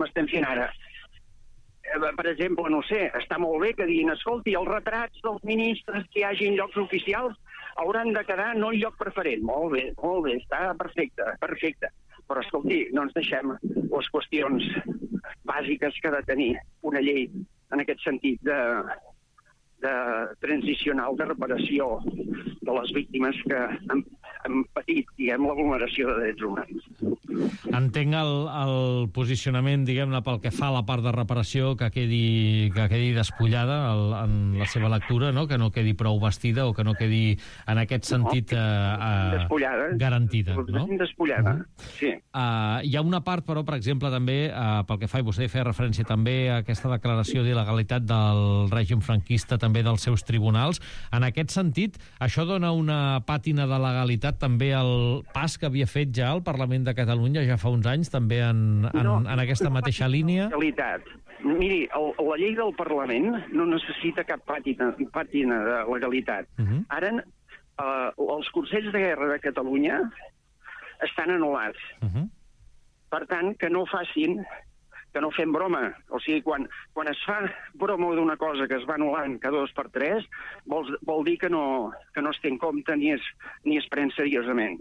estem fent ara. Per exemple, no sé, està molt bé que diguin, escolti, els retrats dels ministres que hi hagi en llocs oficials hauran de quedar no en lloc preferent. Molt bé, està perfecte. Però, escolti, no ens deixem les qüestions bàsiques que ha de tenir una llei en aquest sentit de transicional de reparació de les víctimes que han patit, diguem, la vulneració de drets humans. Entenc el posicionament, diguem-ne, pel que fa a la part de reparació, que quedi despullada en la seva lectura, no? Que no quedi prou vestida o que no quedi, en aquest sentit, garantida. No? Despullada, sí. Hi ha una part, però, per exemple, també, pel que fa, i vostè feia referència també a aquesta declaració d'il·legalitat del règim franquista, també dels seus tribunals. En aquest sentit, això dona una pàtina de legalitat també al pas que havia fet ja el Parlament de Catalunya ja fa uns anys, també en aquesta mateixa línia? Miri, la llei del Parlament no necessita cap pàtina de legalitat. Ara, els Consells de Guerra de Catalunya estan anul·lats. Per tant, que no fem broma. O sigui, quan es fa broma d'una cosa que es va anul·lant cada 2 per 3, vol dir que no es té en compte ni es pren seriosament.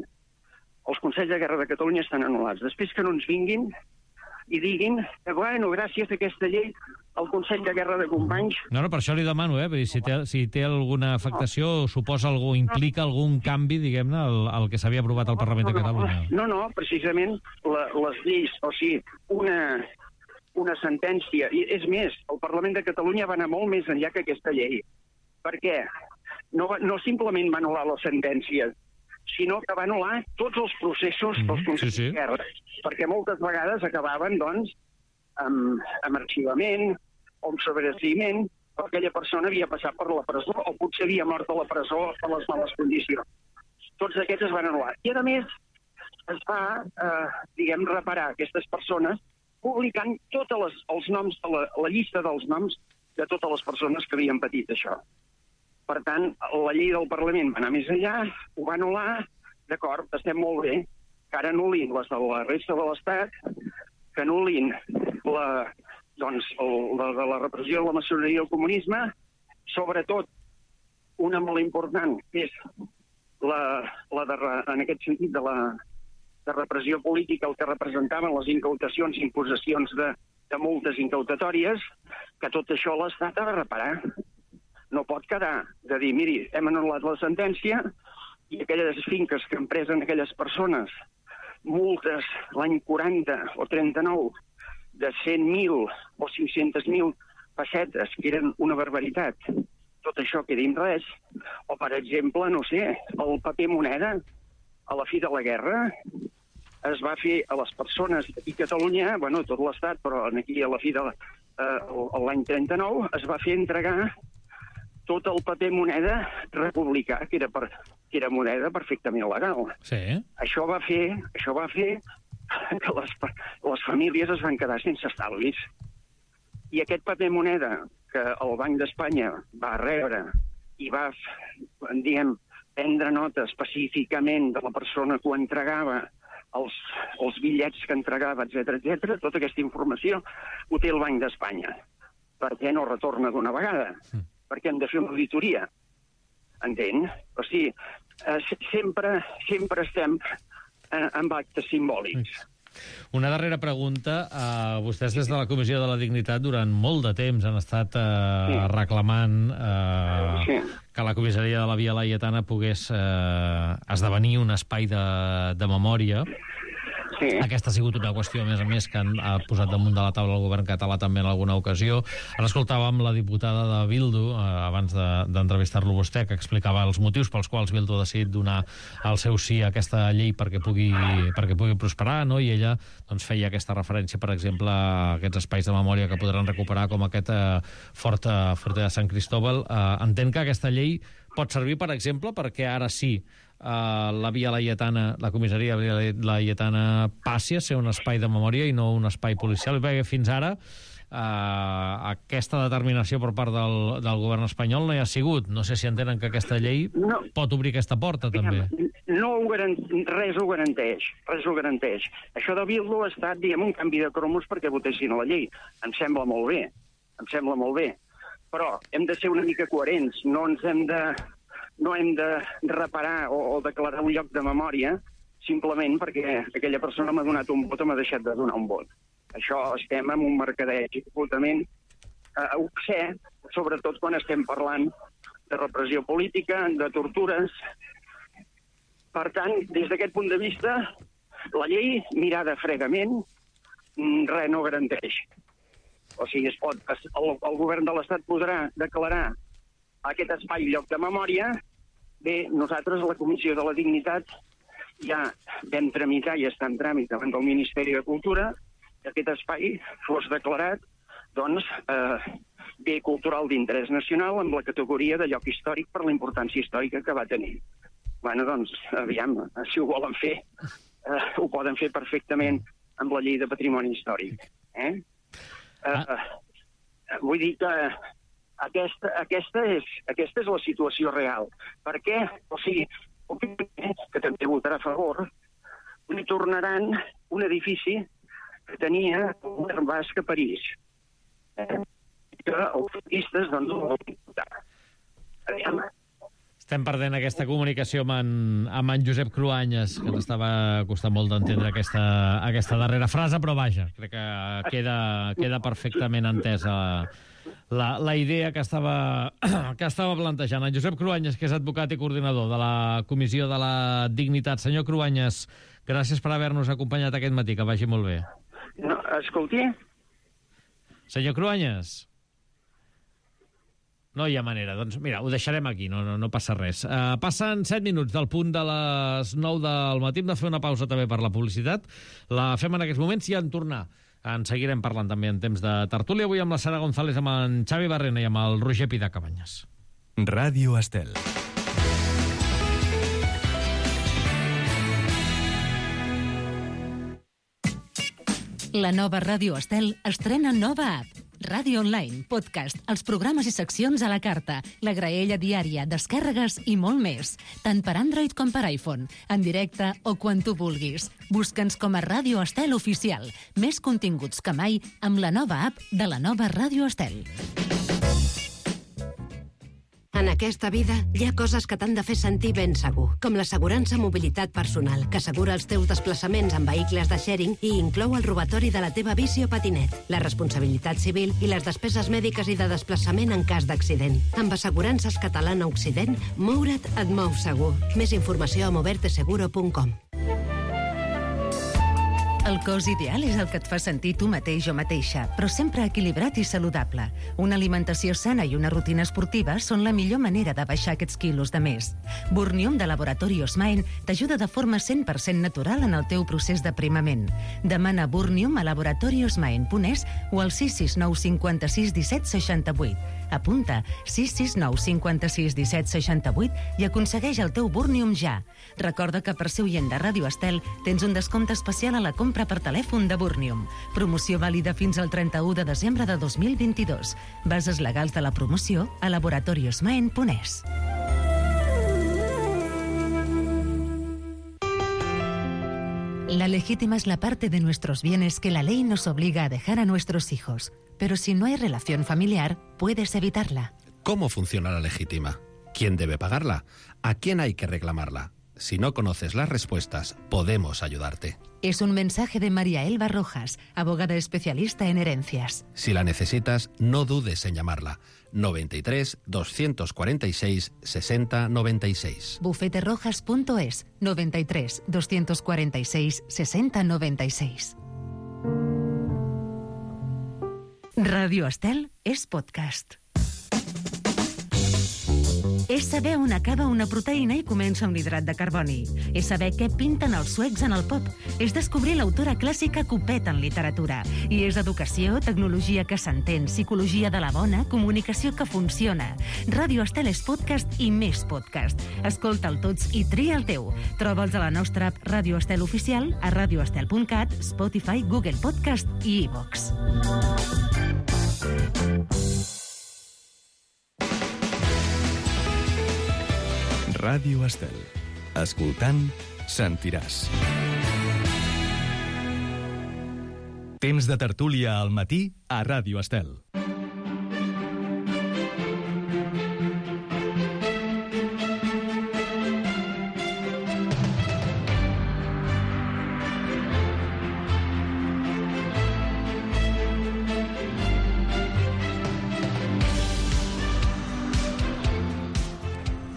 Els Consells de Guerra de Catalunya estan anul·lats. Després que no ens vinguin i diguin que, bueno, gràcies a aquesta llei, el Consell de Guerra de Companys... No, per això li demano, si té alguna afectació, suposa implica algun canvi, diguem-ne, al que s'havia aprovat al Parlament de Catalunya. No, precisament les lleis, o sigui, una sentència, i és més, el Parlament de Catalunya va anar molt més enllà que aquesta llei. Per què? No simplement va anul·lar la sentència, sinó que va anul·lar tots els processos dels Consells de Guerra, perquè moltes vegades acabaven, doncs, amb arxivament o amb sobreseïment, perquè aquella persona havia passat per la presó o potser havia mort a la presó per les males condicions. Tots aquests es van anul·lar. I, a més, es va, reparar aquestes persones publicant tots els noms, la llista dels noms de totes les persones que havien patit això. Per tant, la llei del Parlament va anar més enllà, ho va anul·lar, d'acord, estem molt bé, que ara anul·lin les de la resta de l'Estat, que anul·lin la repressió de la maçoneria i el comunisme, sobretot una molt important, que és en aquest sentit de repressió política, el que representaven les incautacions i imposicions de multes incautatòries, que tot això l'Estat ha de reparar. No pot quedar de dir, miri, hem anul·lat la sentència i aquelles finques que han pres en aquelles persones multes l'any 40 o 39 de 100.000 o 500.000 pessetes, que eren una barbaritat, tot això queda en res. O, per exemple, no sé, el paper moneda a la fi de la guerra es va fer a les persones i Catalunya, bueno, tot l'Estat, però aquí a la fi de l'any 39 es va fer entregar tot el paper moneda republicà, que era moneda perfectament legal. Sí. Això va fer que les famílies es van quedar sense estalvis. I aquest paper moneda que el Banc d'Espanya va rebre i va, prendre nota específicament de la persona que ho entregava, els bitllets que entregava, etc., tota aquesta informació ho té el Banc d'Espanya. Per què no retorna d'una vegada? Perquè hem de fer una auditoria. Entén? O sigui, sempre estem amb actes simbòlics. Una darrera pregunta. Vostès des de la Comissió de la Dignitat durant molt de temps han estat reclamant que la comissaria de la Via Laietana pogués esdevenir un espai de memòria. Sí. Aquesta ha sigut una qüestió, a més, que ha posat damunt de la taula el govern català també en alguna ocasió. Ara escoltàvem la diputada de Bildu, abans d'entrevistar-lo vostè, que explicava els motius pels quals Bildu ha decidit donar el seu sí a aquesta llei perquè pugui prosperar, no? I ella doncs, feia aquesta referència, per exemple, a aquests espais de memòria que podran recuperar, com aquest fort de Sant Cristóbal. Entenc que aquesta llei pot servir, per exemple, perquè ara sí la Via Laietana, la comissaria Via Laietana passi a ser un espai de memòria i no un espai policial, perquè fins ara aquesta determinació per part del govern espanyol no hi ha sigut. No sé si entenen que aquesta llei pot obrir aquesta porta, també. Res ho garanteix. Això de Bildu ha estat, un canvi de cromos perquè votessin a la llei. Em sembla molt bé. Però hem de ser una mica coherents. No hem de reparar o declarar un lloc de memòria simplement perquè aquella persona m'ha donat un vot o m'ha deixat de donar un vot. Això estem en un mercadeig absolutament obscè, sobretot quan estem parlant de repressió política, de tortures. Per tant, des d'aquest punt de vista, la llei, mirada fredament, res no garanteix. O sigui, el govern de l'Estat podrà declarar aquest espai lloc de memòria. Bé, nosaltres, la Comissió de la Dignitat, ja vam tramitar i està en tràmit davant del Ministeri de Cultura que aquest espai fos declarat bé cultural d'interès nacional amb la categoria de lloc històric per la importància històrica que va tenir. Bueno, doncs, aviam, si ho volen fer, ho poden fer perfectament amb la llei de patrimoni històric. Vull dir que aquesta és la situació real. Per què? O sigui, que també votarà a favor, li tornaran un edifici que tenia el govern basc a París. Que els turistes, doncs, ho volen votar. Estem perdent aquesta comunicació amb en Josep Cruanyes, que ens estava costant molt d'entendre aquesta darrera frase, però vaja, crec que queda perfectament entesa la idea que estava plantejant. En Josep Cruanyes, que és advocat i coordinador de la Comissió de la Dignitat. Senyor Cruanyes, gràcies per haver-nos acompanyat aquest matí, que vagi molt bé. No, escolti. Senyor Cruanyes. No hi ha manera. Doncs mira, ho deixarem aquí, no passa res. Passen 7 minuts del punt de les 9 del matí. Hem de fer una pausa també per la publicitat. La fem en aquests moments i en tornar. En seguirem parlant també en temps de tertúlia. Avui amb la Sara González, amb en Xavi Barrena i amb el Roger Pidà Cabanyes. Ràdio Estel. La nova Ràdio Estel estrena nova app. Ràdio online, podcast, els programes i seccions a la carta, la graella diària, descàrregues i molt més. Tant per Android com per iPhone, en directe o quan tu vulguis. Busca'ns com a Ràdio Estel Oficial. Més continguts que mai amb la nova app de la nova Ràdio Estel. En aquesta vida hi ha coses que t'han de fer sentir ben segur, com l'assegurança mobilitat personal, que assegura els teus desplaçaments en vehicles de sharing i inclou el robatori de la teva bici o patinet, la responsabilitat civil i les despeses mèdiques i de desplaçament en cas d'accident. Amb Assegurances Catalana Occident, moure't et mou segur. Més informació a moverteseguro.com. El cos ideal és el que et fa sentir tu mateix o mateixa, però sempre equilibrat i saludable. Una alimentació sana i una rutina esportiva són la millor manera de baixar aquests quilos de més. Burnium de Laboratori Osmain t'ajuda de forma 100% natural en el teu procés d'aprimament. Demana Burnium a laboratoriosmain.es o al 669 56 17 68. Apunta 669 56 17 68 i aconsegueix el teu Burnium ja. Recorda que per ser oient de Ràdio Estel tens un descompte especial a la compra per telèfon de Burnium. Promoció vàlida fins al 31 de desembre de 2022. Bases legals de la promoció a laboratoriosmain.es. La legítima es la parte de nuestros bienes que la ley nos obliga a dejar a nuestros hijos. Pero si no hay relación familiar, puedes evitarla. ¿Cómo funciona la legítima? ¿Quién debe pagarla? ¿A quién hay que reclamarla? Si no conoces las respuestas, podemos ayudarte. Es un mensaje de María Elba Rojas, abogada especialista en herencias. Si la necesitas, no dudes en llamarla. 93 246 60 96. bufeterojas.es 93 246 60 96. Radio Estel es podcast. És saber on acaba una proteïna i comença un hidrat de carboni. És saber què pinten els suecs en el pop. És descobrir l'autora clàssica que ho peta en literatura. I és educació, tecnologia que s'entén, psicologia de la bona, comunicació que funciona. Ràdio Estel és podcast i més podcast. Escolta'l tots i tria el teu. Troba'ls a la nostra app Ràdio Estel Oficial, a radioestel.cat, Spotify, Google Podcast i iVox. Ràdio Estel. Escoltant, sentiràs. Temps de tertúlia al matí a Ràdio Estel.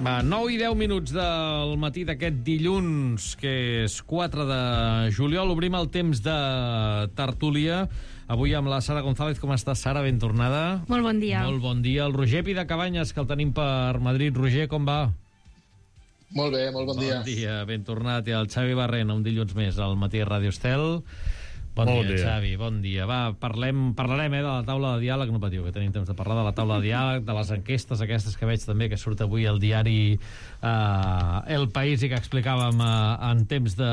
Va, 9 i 10 minuts del matí d'aquest dilluns, que és 4 de juliol. Obrim el temps de tertúlia. Avui amb la Sara González. Com estàs, Sara? Ben tornada. Molt bon dia. Molt bon dia. El Roger Pidacabanyes, que el tenim per Madrid. Roger, com va? Molt bé, molt bon dia. Bon dia, ben tornat. I el Xavi Barrena, un dilluns més al matí a Ràdio Estel. Bon dia, Xavi, bon dia. Va, parlarem de la taula de diàleg, no patiu, que tenim temps de parlar de la taula de diàleg, de les enquestes aquestes que veig també, que surt avui al diari El País i que explicàvem en temps de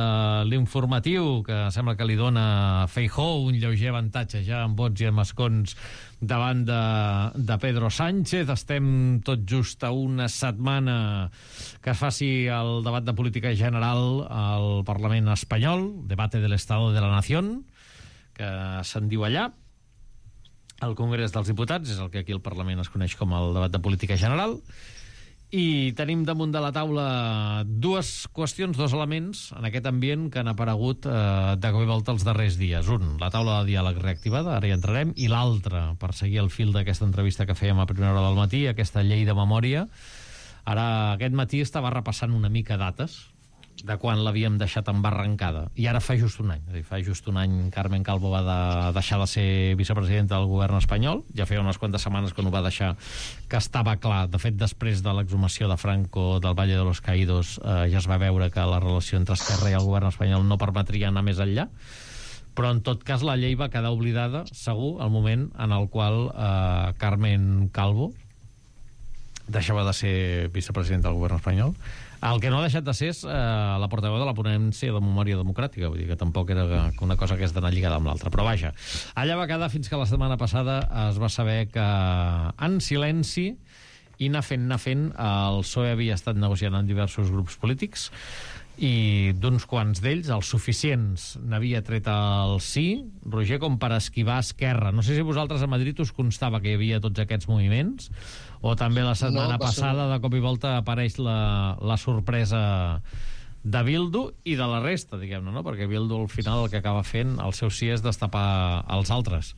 l'informatiu, que sembla que li dona Feijóo un lleuger avantatge ja en vots i en escons davant de Pedro Sánchez. Estem tot just a una setmana que es faci el debat de política general al Parlament espanyol, debate del Estado de la Nación, que se'n diu allà, al Congrés dels Diputats, és el que aquí al Parlament es coneix com el debat de política general, i tenim damunt de la taula dues qüestions, dos elements en aquest ambient que han aparegut de cop i volta els darrers dies. Un, la taula de diàleg reactivada, ara hi entrarem, i l'altre, per seguir el fil d'aquesta entrevista que fèiem a primera hora del matí, aquesta llei de memòria. Ara, aquest matí estava repassant una mica dates de quan l'havíem deixat embarrancada, i ara fa just un any. És a dir, fa just un any Carmen Calvo va deixar de ser vicepresidenta del govern espanyol. Ja feia unes quantes setmanes quan ho va deixar, que estava clar. De fet, després de l'exhumació de Franco del Valle de los Caídos, ja es va veure que la relació entre Esquerra i el govern espanyol no permetria anar més enllà. Però, en tot cas, la llei va quedar oblidada, segur, al moment en el qual Carmen Calvo deixava de ser vicepresidenta del govern espanyol. El que no ha deixat de ser és la portaveu de la ponència de memòria democràtica, vull dir que tampoc era una cosa que és d'anar lligada amb l'altra. Però vaja, allà va quedar fins que la setmana passada es va saber que en silenci i anar fent, el PSOE havia estat negociant amb diversos grups polítics i d'uns quants d'ells, els suficients, n'havia tret el sí, Roger, com per esquivar Esquerra. No sé si vosaltres a Madrid us constava que hi havia tots aquests moviments, o també la setmana passada de cop i volta apareix la sorpresa de Bildu i de la resta, diguem-ne, no? Perquè Bildu al final el que acaba fent, el seu sí és destapar els altres.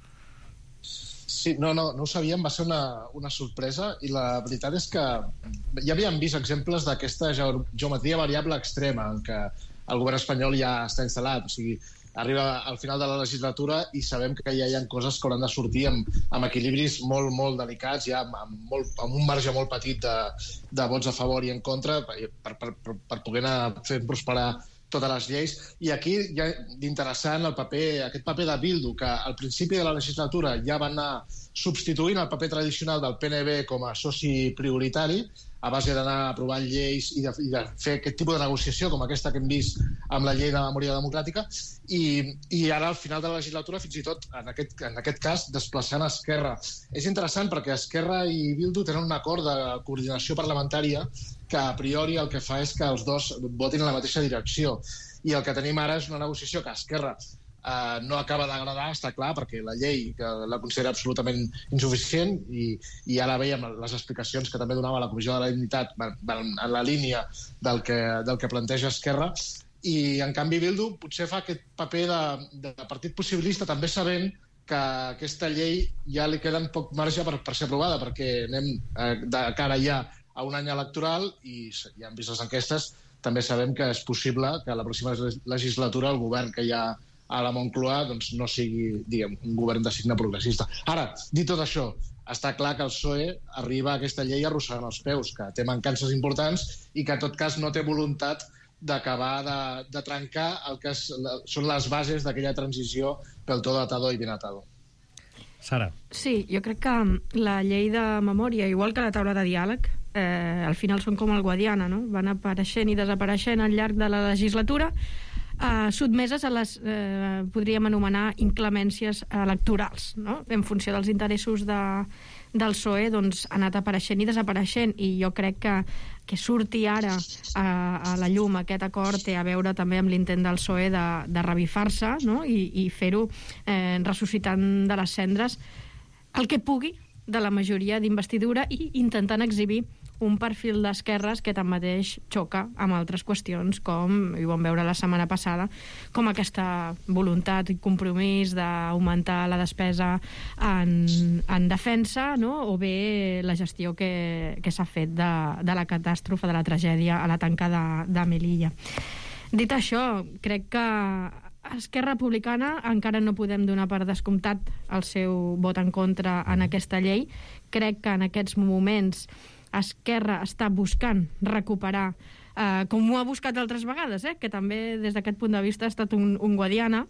Sí, no ho sabíem, va ser una sorpresa, i la veritat és que ja havíem vist exemples d'aquesta geometria variable extrema en què el govern espanyol ja està instal·lat. O sigui, arriba al final de la legislatura i sabem que ja hi ha coses que hauran de sortir amb equilibris molt, molt delicats, ja amb un marge molt petit de vots a favor i en contra per poder anar fent prosperar totes les lleis. I aquí hi ha d'interessant aquest paper de Bildu, que al principi de la legislatura ja va anar substituint el paper tradicional del PNB com a soci prioritari, a base d'anar aprovant lleis i de fer aquest tipus de negociació com aquesta que hem vist amb la llei de memòria democràtica, i ara al final de la legislatura fins i tot en aquest cas desplaçant Esquerra. És interessant perquè Esquerra i Bildu tenen un acord de coordinació parlamentària que a priori el que fa és que els dos votin en la mateixa direcció, i el que tenim ara és una negociació que Esquerra no acaba d'agradar, està clar, perquè la llei que la considera absolutament insuficient, i ara veiem les explicacions que també donava la Comissió de la Dignitat en la línia del que planteja Esquerra, i en canvi Bildu potser fa aquest paper de partit possibilista, també sabent que aquesta llei ja li queda poc marge per ser aprovada, perquè anem de cara ja a un any electoral i ja hem vist les enquestes, també sabem que és possible que a la pròxima legislatura el govern que hi ha a la Moncloa doncs, no sigui, diguem, un govern de signe progressista. Ara, dit tot això, està clar que el PSOE arriba a aquesta llei arrossegant els peus, que té mancances importants i que, en tot cas, no té voluntat d'acabar de trencar el que són les bases d'aquella transició pel todo atado i bien atado. Sara. Sí, jo crec que la llei de memòria, igual que la taula de diàleg, al final són com el Guadiana, no? Van apareixent i desapareixent al llarg de la legislatura, sotmeses a les, podríem anomenar, inclemències electorals, no? En funció dels interessos del PSOE, doncs, ha anat apareixent i desapareixent, i jo crec que surti ara a la llum aquest acord té a veure també amb l'intent del PSOE de revifar-se, no? I fer-ho ressuscitant de les cendres el que pugui de la majoria d'investidura i intentant exhibir un perfil d'esquerres que tanmateix xoca amb altres qüestions, com, i ho vam veure la setmana passada, com aquesta voluntat i compromís d'augmentar la despesa en defensa, no? O bé la gestió que s'ha fet de la catàstrofe, de la tragèdia a la tanca de Melilla. Dit això, crec que Esquerra Republicana encara no podem donar per descomptat el seu vot en contra en aquesta llei. Crec que en aquests moments Esquerra està buscant recuperar, com ho ha buscat altres vegades, que també des d'aquest punt de vista ha estat un Guadiana,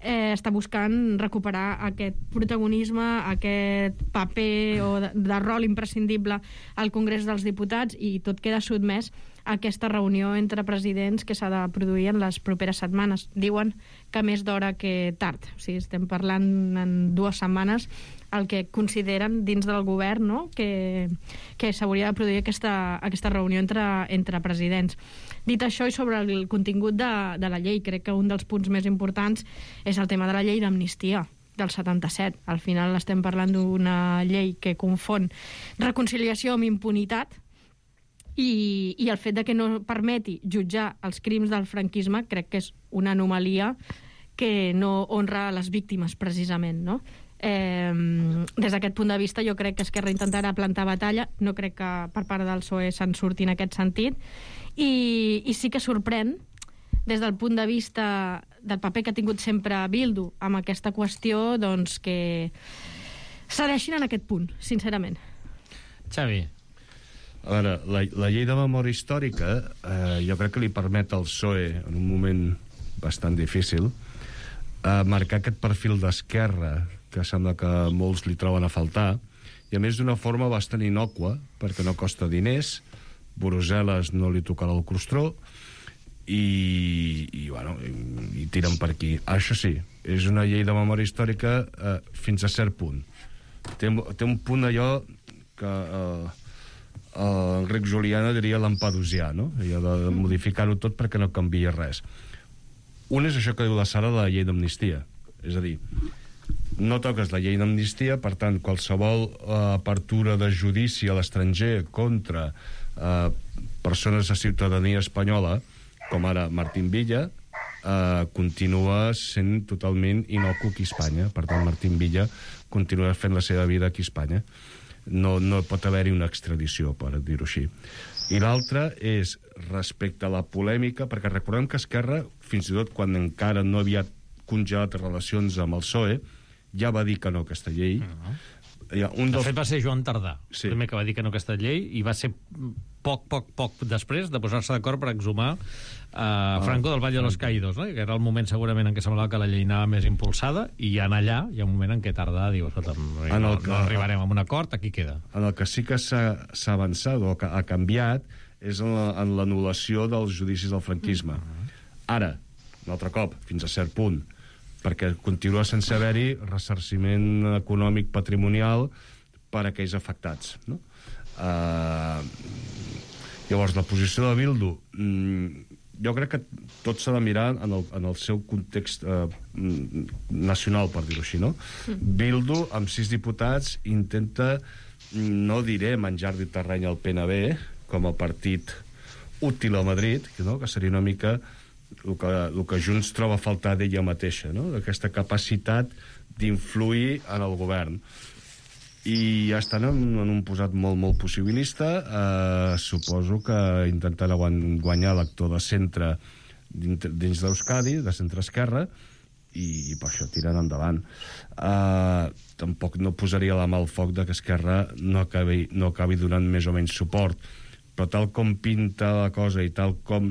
està buscant recuperar aquest protagonisme, aquest paper de rol imprescindible al Congrés dels Diputats, i tot queda sotmès a aquesta reunió entre presidents que s'ha de produir en les properes setmanes. Diuen que més d'hora que tard. O sigui, estem parlant en 2 setmanes el que consideren dins del govern, no? que s'hauria de produir aquesta reunió entre presidents. Dit això, i sobre el contingut de la llei, crec que un dels punts més importants és el tema de la llei d'amnistia del 77. Al final estem parlant d'una llei que confon reconciliació amb impunitat, i el fet de que no permeti jutjar els crims del franquisme crec que és una anomalia que no honra les víctimes, precisament, no? Des d'aquest punt de vista jo crec que Esquerra intentarà plantar batalla, no crec que per part del PSOE se'n surti en aquest sentit, i sí que sorprèn des del punt de vista del paper que ha tingut sempre Bildu amb aquesta qüestió, doncs que cedeixin en aquest punt, sincerament. Xavi. A veure, la llei de memòria històrica jo crec que li permet al PSOE, en un moment bastant difícil, marcar aquest perfil d'esquerra que sembla que molts li troben a faltar, i a més d'una forma bastant innòcua, perquè no costa diners, Brussel·les no li tocarà el crostró, i tiren per aquí. Això sí, és una llei de memòria històrica fins a cert punt. Té un punt allò que Enric Juliana diria lampedusià, no? Allò de modificar-ho tot perquè no canvia res. Un és això que diu la Sara de la llei d'amnistia, és a dir, no toques la llei d'amnistia, per tant, qualsevol apertura de judici a l'estranger contra persones de ciutadania espanyola, com ara Martín Villa, continua sent totalment inocu aquí a Espanya. Per tant, Martín Villa continua fent la seva vida aquí a Espanya. No pot haver-hi una extradició, per dir-ho així. I l'altre és respecte a la polèmica, perquè recordem que Esquerra, fins i tot quan encara no havia congelat relacions amb el PSOE, ja va dir que no a aquesta llei. De fet, va ser Joan Tardà, el primer que va dir que no a aquesta llei, i va ser poc després de posar-se d'acord per exhumar Franco del Valle de los Caídos, no? Que era el moment segurament en què semblava que la llei anava més impulsada, i ja allà hi ha un moment en què Tardà diu, escolta, no arribarem a un acord, aquí queda. En el que sí que s'ha avançat o que ha canviat és en l'anul·lació dels judicis del franquisme. Ara, un altre cop, fins a cert punt, perquè continua sense haver-hi ressarciment econòmic patrimonial per a aquells afectats, no? Llavors, la posició de Bildu, jo crec que tot s'ha de mirar en el seu context nacional, per dir-ho així, no? Bildu, amb 6 diputats, intenta, no diré menjar-li terreny al PNB, com a partit útil a Madrid, no? Que seria una mica el que Junts troba a faltar d'ella mateixa, no? Aquesta capacitat d'influir en el govern. I ja estan en un posat molt possibilista. Suposo que intentant guanyar l'actor de centre dins d'Euskadi, de centre-esquerra, i per això tiren endavant. Tampoc no posaria la mà al foc de que Esquerra no acabi donant més o menys suport, però tal com pinta la cosa i tal com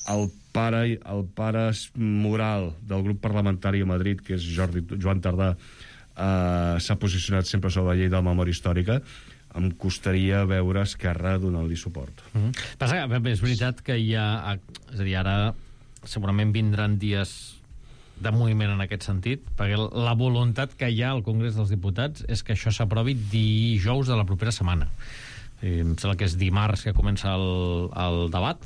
el pare moral del grup parlamentari a Madrid, que és Joan Tardà, s'ha posicionat sempre sobre la llei de la memòria històrica, em costaria veure Esquerra donant-li suport. Passa que és veritat que hi ha... És a dir, ara segurament vindran dies de moviment en aquest sentit, perquè la voluntat que hi ha al Congrés dels Diputats és que això s'aprovi dijous de la propera setmana. Em sembla que és dimarts que comença el debat,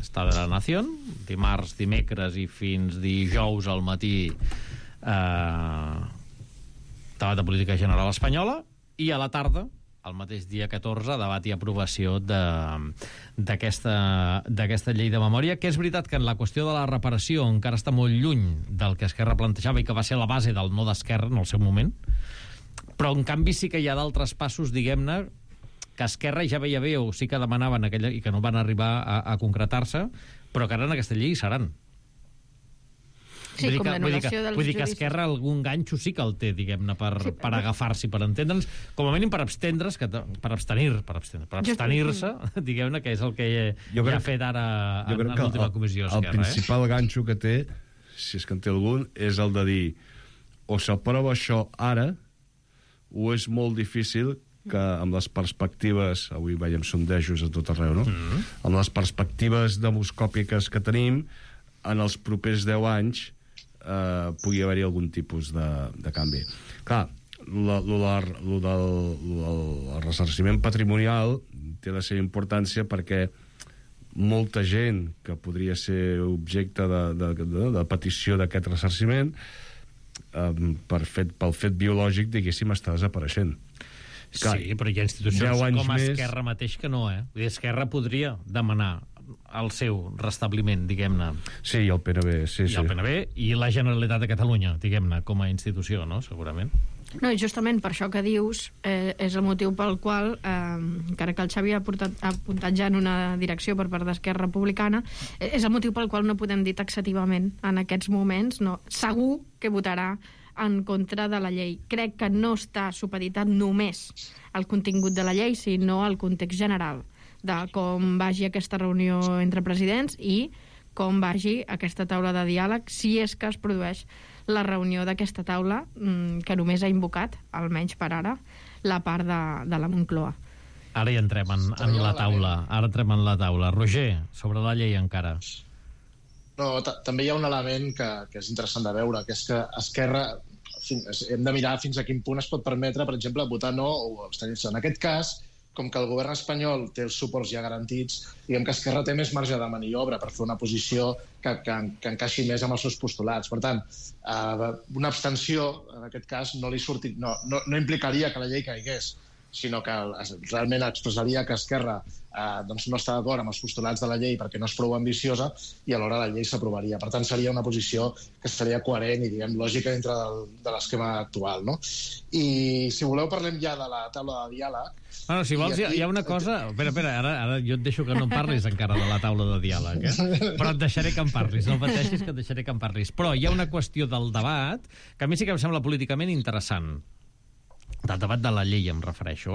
Estat de la Nació, dimarts, dimecres i fins dijous al matí debat de política general espanyola, i a la tarda, el mateix dia 14, debat i aprovació d'aquesta llei de memòria, que és veritat que en la qüestió de la reparació encara està molt lluny del que Esquerra plantejava i que va ser la base del no d'Esquerra en el seu moment, però en canvi sí que hi ha d'altres passos, diguem-ne, que Esquerra ja veia bé o sí que demanaven i que no van arribar a concretar-se, però que ara en aquesta llei seran. Sí, com l'anul·lació dels judicis. Vull dir que Esquerra algun ganxo sí que el té, diguem-ne, per agafar-s'hi, per entendre'ns, com a mínim per abstenir-se, diguem-ne, que és el que ja ha fet ara en l'última comissió Esquerra. El principal ganxo que té, si és que en té algun, és el de dir o s'aprova això ara o és molt difícil que amb les perspectives, avui veiem sondejos a tot arreu, no? Amb les perspectives demoscòpiques que tenim, en els propers 10 anys pugui haver-hi algun tipus de canvi. Clar, el ressarciment patrimonial té la seva importància perquè molta gent que podria ser objecte de petició d'aquest ressarciment pel fet biològic, diguéssim, està desapareixent. Clar, sí, però hi ha institucions com Esquerra mateix que no, Vull dir, Esquerra podria demanar el seu restabliment, diguem-ne. Sí, i el PNB, sí. I el PNB i la Generalitat de Catalunya, diguem-ne, com a institució, no?, segurament. No, i justament per això que dius és el motiu pel qual, encara que el Xavi ha apuntat ja en una direcció per part d'Esquerra Republicana, és el motiu pel qual no podem dir taxativament en aquests moments, no, segur que votarà en contra de la llei. Crec que no està supeditat només al contingut de la llei, sinó al context general de com vagi aquesta reunió entre presidents i com vagi aquesta taula de diàleg, si és que es produeix la reunió d'aquesta taula que només ha invocat, almenys per ara, la part de la Moncloa. Ara hi entrem en la taula. Ara entrem en la taula. Roger, sobre la llei encara. No, també hi ha un element que és interessant de veure, que és que Esquerra hem de mirar fins a quin punt es pot permetre, per exemple, votar no o abstenir-se. En aquest cas, com que el govern espanyol té els suports ja garantits, diguem que Esquerra té més marge de maniobra per fer una posició que encaixi més amb els seus postulats. Per tant, una abstenció, en aquest cas, no implicaria que la llei caigués, sinó que realment expressaria que Esquerra no està d'acord amb els postulats de la llei perquè no és prou ambiciosa i alhora la llei s'aprovaria. Per tant, seria una posició que seria coherent i, diguem, lògica dintre de l'esquema actual, no? I, si voleu, parlem ja de la taula de diàleg. Bueno, si vols, hi ha una cosa... Espera, ara jo et deixo que no em parlis encara de la taula de diàleg, però et deixaré que em parlis, no pateixis que et deixaré que em parlis. Però hi ha una qüestió del debat que a mi sí que em sembla políticament interessant. Del debat de la llei em refereixo,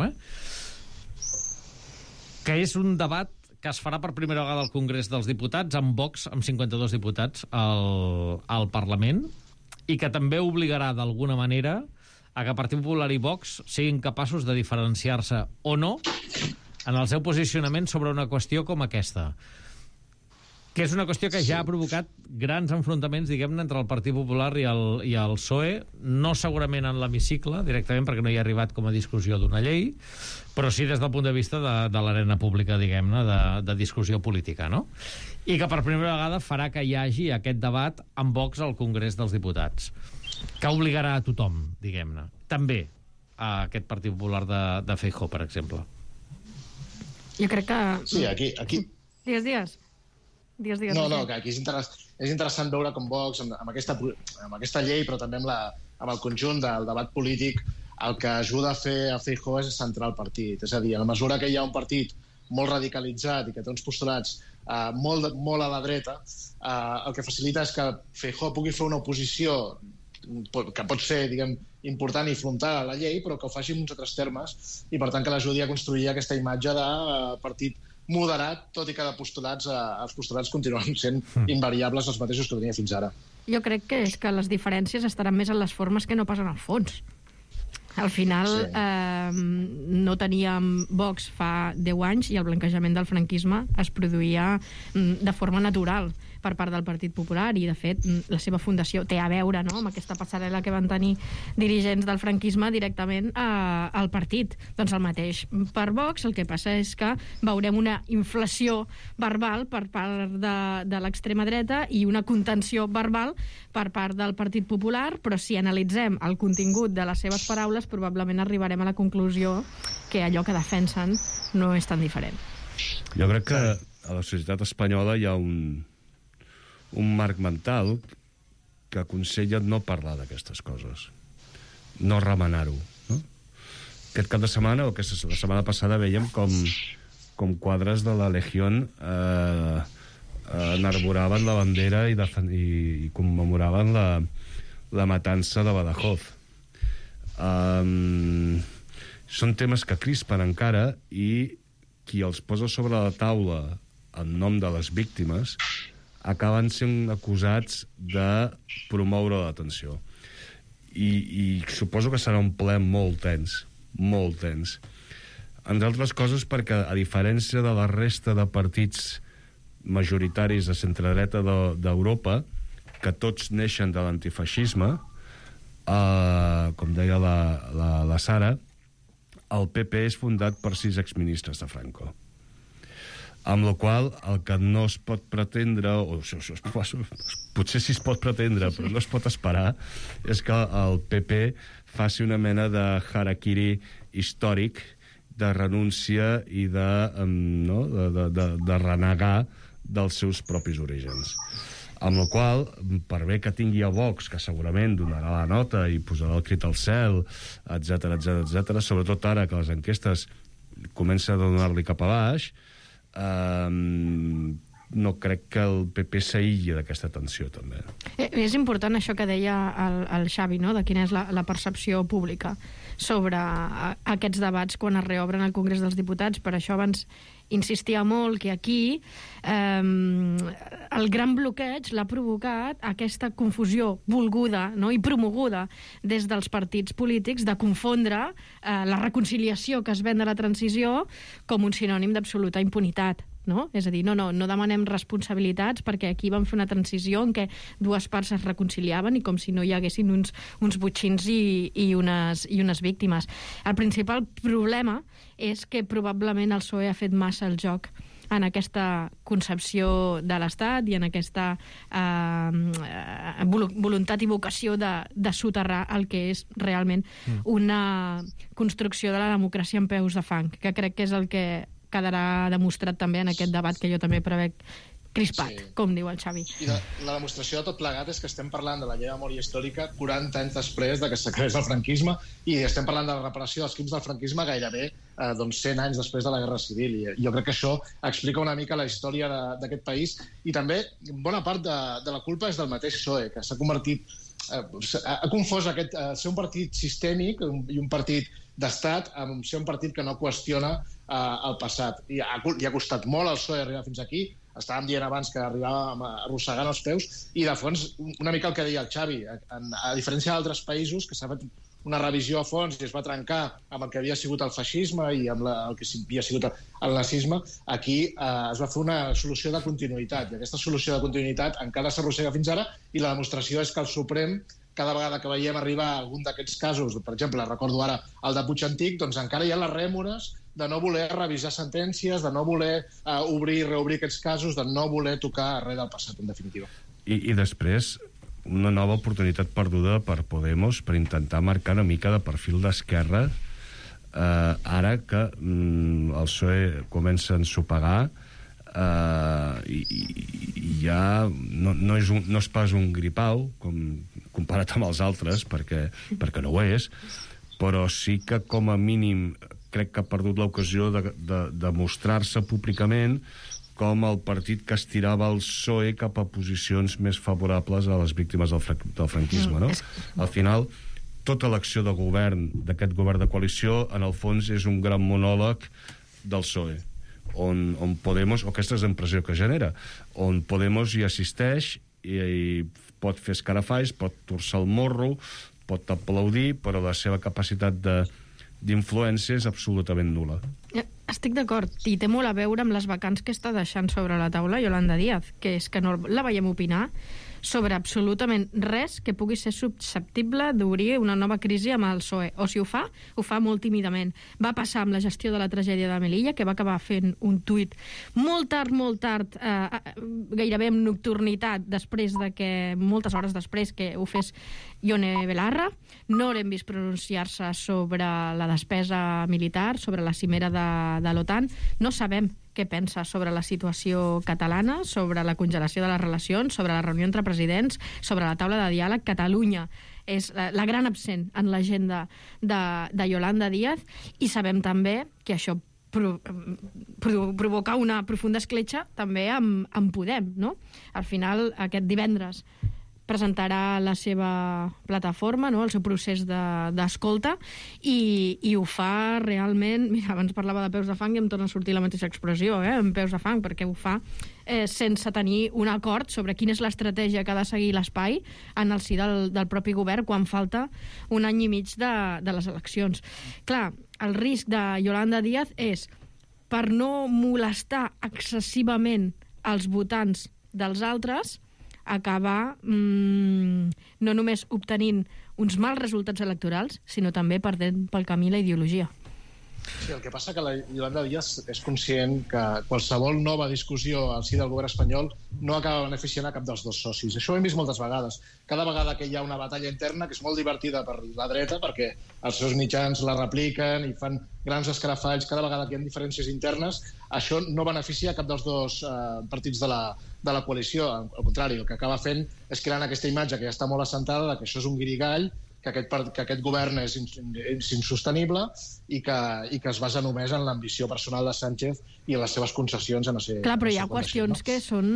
que és un debat que es farà per primera vegada al Congrés dels Diputats, amb Vox, amb 52 diputats al Parlament, i que també obligarà d'alguna manera a que Partit Popular i Vox siguin capaços de diferenciar-se o no en el seu posicionament sobre una qüestió com aquesta, que és una qüestió que ja ha provocat grans enfrontaments, diguem-ne, entre el Partit Popular i el PSOE, no segurament en l'hemicicle, directament, perquè no hi ha arribat com a discussió d'una llei, però sí des del punt de vista de l'arena pública, diguem-ne, de discussió política, no? I que per primera vegada farà que hi hagi aquest debat amb Vox al Congrés dels Diputats, que obligarà a tothom, diguem-ne. També a aquest Partit Popular de Feijóo, per exemple. Jo crec que... Sí, aquí... Digues. No, que aquí és interessant veure com Vox, amb aquesta llei, però també amb el conjunt del debat polític, el que ajuda a fer a Feijóo és centrar el partit. És a dir, a la mesura que hi ha un partit molt radicalitzat i que té uns postulats molt a la dreta, el que facilita és que Feijóo pugui fer una oposició que pot ser, diguem, important i frontal a la llei, però que ho faci en uns altres termes, i per tant que l'ajudi a construir aquesta imatge de partit moderat, tot i que els postulats continuen sent invariables els mateixos que tenia fins ara. Jo crec que és que les diferències estaran més en les formes que no pas en el fons. Al final no teníem Vox fa 10 anys i el blanquejament del franquisme es produïa de forma natural per part del Partit Popular i, de fet, la seva fundació té a veure, no?, amb aquesta passarel·la que van tenir dirigents del franquisme directament al partit. Doncs el mateix per Vox, el que passa és que veurem una inflació verbal per part de l'extrema dreta i una contenció verbal per part del Partit Popular, però si analitzem el contingut de les seves paraules probablement arribarem a la conclusió que allò que defensen no és tan diferent. Jo crec que a la societat espanyola hi ha un marc mental que aconsella no parlar d'aquestes coses, no remenar-ho, no? Aquest cap de setmana, o la setmana passada, veiem com quadres de la Legión enarboraven la bandera i commemoraven la matança de Badajoz. Són temes que crispen encara i qui els posa sobre la taula en nom de les víctimes acaben sent acusats de promoure la tensió. I suposo que serà un ple molt tens, molt tens. Entre altres coses perquè, a diferència de la resta de partits majoritaris de centredreta d'Europa, que tots neixen de l'antifeixisme, com deia la Sara, el PP és fundat per 6 exministres de Franco. Amb la qual el que no es pot pretendre, potser sí es pot pretendre, però no es pot esperar, és que el PP faci una mena de harakiri històric, de renúncia i de renegar dels seus propis orígens. Amb la qual, per bé que tingui a Vox, que segurament donarà la nota i posarà el crit al cel, etc, sobretot ara que les enquestes comencen a donar-li cap a baix, no crec que el PP s'aïlli d'aquesta tensió, també. És important això que deia el Xavi, no?, de quina és la percepció pública sobre aquests debats quan es reobren al Congrés dels Diputats. Per això abans insistia molt que aquí el gran bloqueig l'ha provocat aquesta confusió volguda, no?, i promoguda des dels partits polítics de confondre la reconciliació que es ven de la transició com un sinònim d'absoluta impunitat. No? És a dir, no demanem responsabilitats perquè aquí vam fer una transició en què dues parts es reconciliaven i com si no hi haguessin uns botxins i unes víctimes. El principal problema és que probablement el PSOE ha fet massa el joc en aquesta concepció de l'Estat i en aquesta voluntat i vocació de soterrar el que és realment una construcció de la democràcia en peus de fang, que crec que és el que quedarà demostrat també en aquest debat que jo també prevec crispat, sí, com diu el Xavi. I la demostració de tot plegat és que estem parlant de la llei de memòria històrica 40 anys després de que s'acabés el franquisme i estem parlant de la reparació dels crims del franquisme gairebé 100 anys després de la Guerra Civil. I jo crec que això explica una mica la història d'aquest país i també bona part de la culpa és del mateix PSOE, que s'ha convertit ha confós ser un partit sistèmic i un partit d'estat amb ser un partit que no qüestiona el passat. I ha costat molt al PSOE arribar fins aquí. Estàvem dient abans que arribàvem arrossegant els peus i, de fons, una mica el que deia el Xavi. A diferència d'altres països que s'ha fet una revisió a fons i es va trencar amb el que havia sigut el feixisme i amb el que havia sigut el nazisme, aquí es va fer una solució de continuïtat. I aquesta solució de continuïtat encara s'arrossega fins ara i la demostració és que el Suprem, cada vegada que veiem arribar algun d'aquests casos, per exemple, recordo ara el de Puig Antic, doncs encara hi ha les rèmores de no voler revisar sentències, de no voler obrir i reobrir aquests casos, de no voler tocar res del passat, en definitiva. I després, una nova oportunitat perduda per Podemos per intentar marcar una mica de perfil d'esquerra ara que el PSOE comença a ensopegar i ja no és pas un gripau comparat amb els altres perquè no ho és, però sí que com a mínim crec que ha perdut l'ocasió de mostrar-se públicament com el partit que estirava el PSOE cap a posicions més favorables a les víctimes del franquisme, no? Al final, tota l'acció de govern, d'aquest govern de coalició, en el fons és un gran monòleg del PSOE, on Podemos, o aquesta és la impressió que genera, on Podemos hi assisteix i pot fer escarafalls, pot torçar el morro, pot aplaudir, però la seva capacitat d'influència és absolutament nul·la. Estic d'acord, i té molt a veure amb les vacants que està deixant sobre la taula Yolanda Díaz, que és que no la veiem opinar sobre absolutament res que pugui ser susceptible d'obrir una nova crisi amb el PSOE. O si ho fa molt tímidament. Va passar amb la gestió de la tragèdia de Melilla, que va acabar fent un tuit molt tard, gairebé amb nocturnitat, moltes hores després que ho fes Ione Belarra. No l'hem vist pronunciar-se sobre la despesa militar, sobre la cimera de l'OTAN. No sabem què pensa sobre la situació catalana, sobre la congelació de les relacions, sobre la reunió entre presidents, sobre la taula de diàleg. Catalunya és la gran absent en l'agenda de Yolanda Díaz, i sabem també que això provoca una profunda escletxa també amb Podem, no? Al final, aquest divendres presentarà la seva plataforma, no? El seu procés d'escolta, i ho fa realment... Mira, abans parlava de peus de fang i em torna a sortir la mateixa expressió, amb peus de fang, perquè ho fa sense tenir un acord sobre quina és l'estratègia que ha de seguir l'Espai en el si del propi govern quan falta un any i mig de les eleccions. Clar, el risc de Yolanda Díaz és, per no molestar excessivament els votants dels altres, acabar no només obtenint uns mals resultats electorals, sinó també perdent pel camí la ideologia. Sí, el que passa que la Yolanda Díaz és conscient que qualsevol nova discussió al si del govern espanyol no acaba beneficiant a cap dels dos socis. Això ho hem vist moltes vegades. Cada vegada que hi ha una batalla interna, que és molt divertida per la dreta, perquè els seus mitjans la repliquen i fan grans escarafalls, cada vegada que hi ha diferències internes, això no beneficia a cap dels dos partits de la coalició. Al contrari, el que acaba fent és creant aquesta imatge que ja està molt assentada, que això és un guirigall, que aquest govern és insostenible i que es basa només en l'ambició personal de Sánchez i en les seves concessions en ser... Clar, però hi ha qüestions que són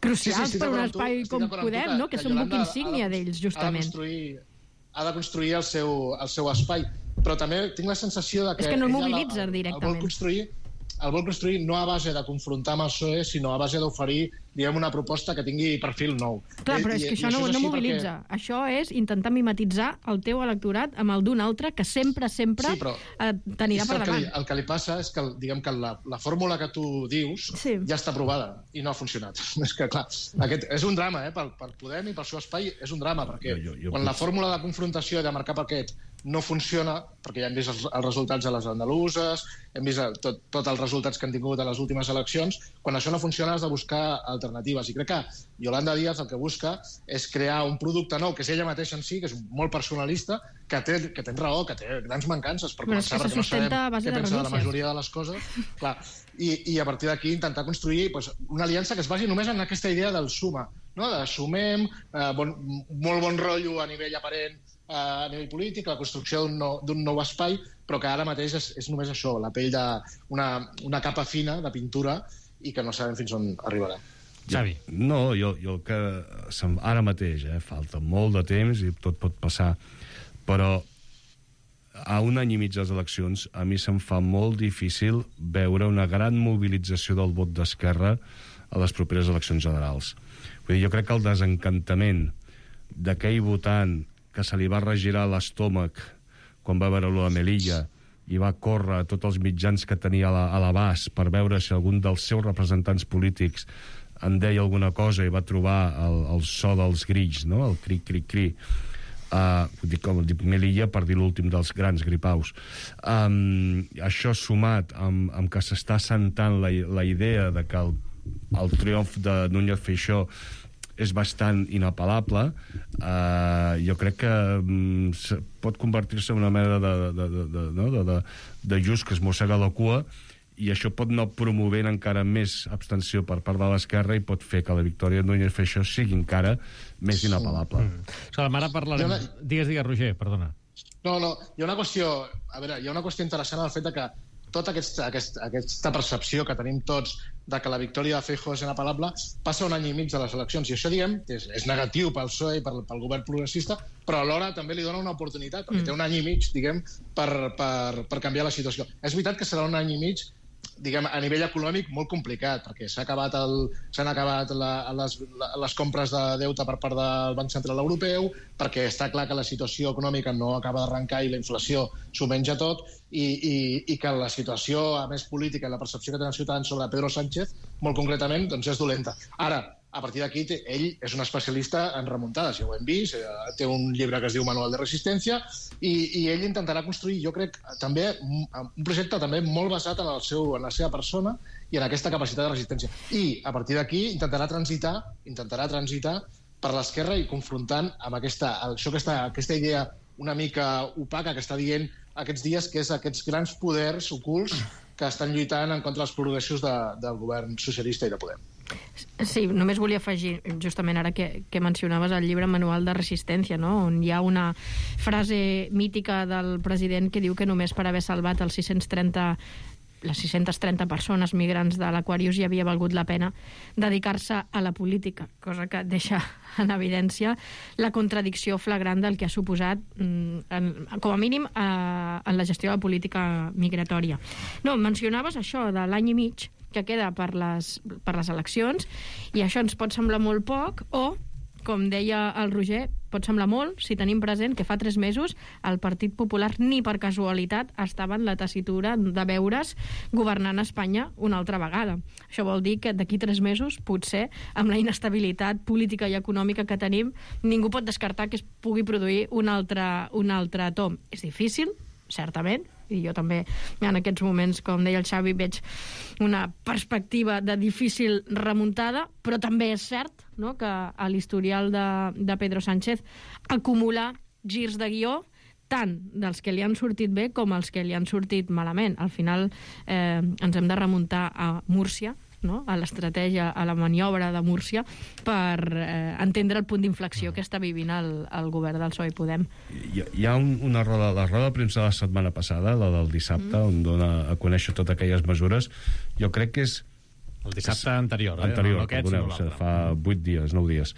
crucials per un espai com Podem, no? Que són buc insígnia d'ells, justament. Ha de construir el seu espai, però també tinc la sensació de que... És que no el mobilitza directament. El vol construir no a base de confrontar amb el PSOE, sinó a base d'oferir, diguem, una proposta que tingui perfil nou. Clar, però és que això no mobilitza. Perquè... Això és intentar mimetitzar el teu electorat amb el d'un altre que sempre t'anirà per davant. El que li passa és que, diguem, que la fórmula que tu dius ja està aprovada i no ha funcionat. És que, clar, és un drama, per Podem i pel seu espai és un drama, perquè quan la fórmula de confrontació i de marcar paquet no funciona, perquè ja hem vist els resultats a les andaluses, hem vist tots els resultats que han tingut a les últimes eleccions, quan això no funciona has de buscar alternatives. I crec que Yolanda Díaz el que busca és crear un producte nou, que és ella mateixa en si, que és molt personalista, que té raó, que té grans mancances, per començar, perquè no sabem què pensa de la majoria de les coses. Clar, i a partir d'aquí intentar construir una aliança que es basi només en aquesta idea del suma, no? De sumem, molt bon rotllo a nivell aparent, a nivell polític, la construcció d'un nou espai, però que ara mateix és només això, la pell d'una capa fina de pintura i que no sabem fins on arribarà. Xavi. No, jo que ara mateix, falta molt de temps i tot pot passar, però a un any i mig de les eleccions a mi se'm fa molt difícil veure una gran mobilització del vot d'Esquerra a les properes eleccions generals. Vull dir, jo crec que el desencantament d'aquell votant que se li va regirar l'estómac quan va veure la Melilla i va córrer a tots els mitjans que tenia a l'abast per veure si algun dels seus representants polítics en deia alguna cosa i va trobar el so dels grills, no? El cri-cri-cri. Com dic Melilla per dir l'últim dels grans gripaus. Això sumat amb que s'està assentant la idea de que el triomf de Núñez Feixóo és bastant inapel·lable, jo crec que pot convertir-se en una mena de just que es mossega la cua, i això pot anar promovent encara més abstenció per part de l'esquerra i pot fer que la victòria de Núñez Feixóo sigui encara més inapel·lable. Ara parlarem... Digues, Roger, perdona. No, hi ha una qüestió interessant en el fet que tota aquesta percepció que tenim tots de que la victòria de Feijóo és inapel·lable, passa un any i mig de les eleccions. I això, diguem, és negatiu pel PSOE i pel govern progressista, però alhora també li dona una oportunitat, perquè té un any i mig, diguem, per canviar la situació. És veritat que serà un any i mig, diguem, a nivell econòmic molt complicat, perquè s'han acabat les compres de deute per part del Banc Central Europeu, perquè està clar que la situació econòmica no acaba d'arrencar i la inflació s'ho menja tot, i que la situació, a més política, i la percepció que tenen els ciutadans sobre Pedro Sánchez, molt concretament, doncs és dolenta. Ara, a partir d'aquí, ell és un especialista en remuntades, ja ho hem vist, té un llibre que es diu Manual de Resistència, i ell intentarà construir, jo crec, també un projecte també molt basat en la seva persona i en aquesta capacitat de resistència. I, a partir d'aquí, intentarà transitar per l'esquerra i confrontant amb aquesta idea una mica opaca que està dient aquests dies, que és aquests grans poders ocults que estan lluitant en contra dels progressos del govern socialista i de Podem. Sí, només volia afegir, justament ara que mencionaves el llibre Manual de Resistència, no? On hi ha una frase mítica del president que diu que només per haver salvat les 630 persones migrants de l'Aquarius ja havia valgut la pena dedicar-se a la política, cosa que deixa en evidència la contradicció flagrant del que ha suposat, com a mínim, en la gestió de la política migratòria. No, mencionaves això de l'any i mig que queda per les eleccions, i això ens pot semblar molt poc, o, com deia el Roger, pot semblar molt si tenim present que fa 3 mesos el Partit Popular ni per casualitat estava en la tessitura de veure's governant Espanya una altra vegada. Això vol dir que d'aquí 3 mesos, potser, amb la inestabilitat política i econòmica que tenim, ningú pot descartar que es pugui produir un altre tomb. És difícil, certament, i jo també en aquests moments, com deia el Xavi, veig una perspectiva de difícil remuntada, però també és cert, no?, que a l'historial de Pedro Sánchez acumular girs de guió tant dels que li han sortit bé com els que li han sortit malament. Al final ens hem de remuntar a Múrcia, no?, a l'estratègia, a la maniobra de Múrcia, per entendre el punt d'inflexió que està vivint el govern del PSOE i Podem. Hi ha la roda de premsa de la setmana passada, la del dissabte, on dona a conèixer totes aquelles mesures. Jo crec que és... El dissabte anterior, no aquest, perdoneu, sinó l'altre. Fa 8 dies, 9 dies.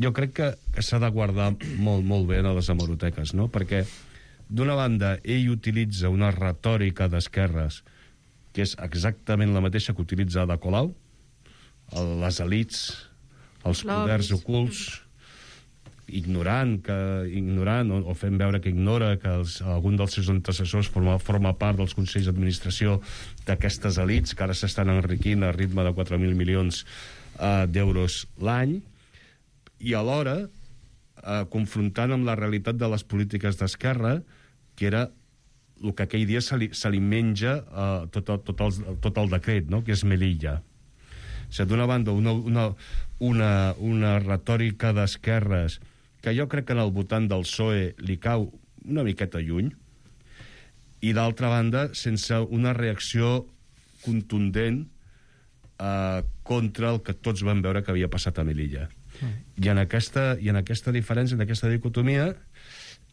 Jo crec que s'ha de guardar molt, molt bé a les hemeroteques, no?, perquè, d'una banda, ell utilitza una retòrica d'esquerres que és exactament la mateixa que utilitza Ada Colau, les elites, els poders ocults, ignorant o fent veure que ignora que algun dels seus antecessors forma part dels consells d'administració d'aquestes elites, que ara s'estan enriquint a ritme de 4.000 milions d'euros l'any, i alhora confrontant amb la realitat de les polítiques d'esquerra, que era el que aquell dia se li menja tot el decret, no?, que és Melilla. O sigui, d'una banda, una retòrica d'esquerres que jo crec que en el votant del PSOE li cau una miqueta lluny, i d'altra banda, sense una reacció contundent contra el que tots van veure que havia passat a Melilla. I en aquesta diferència, en aquesta dicotomia,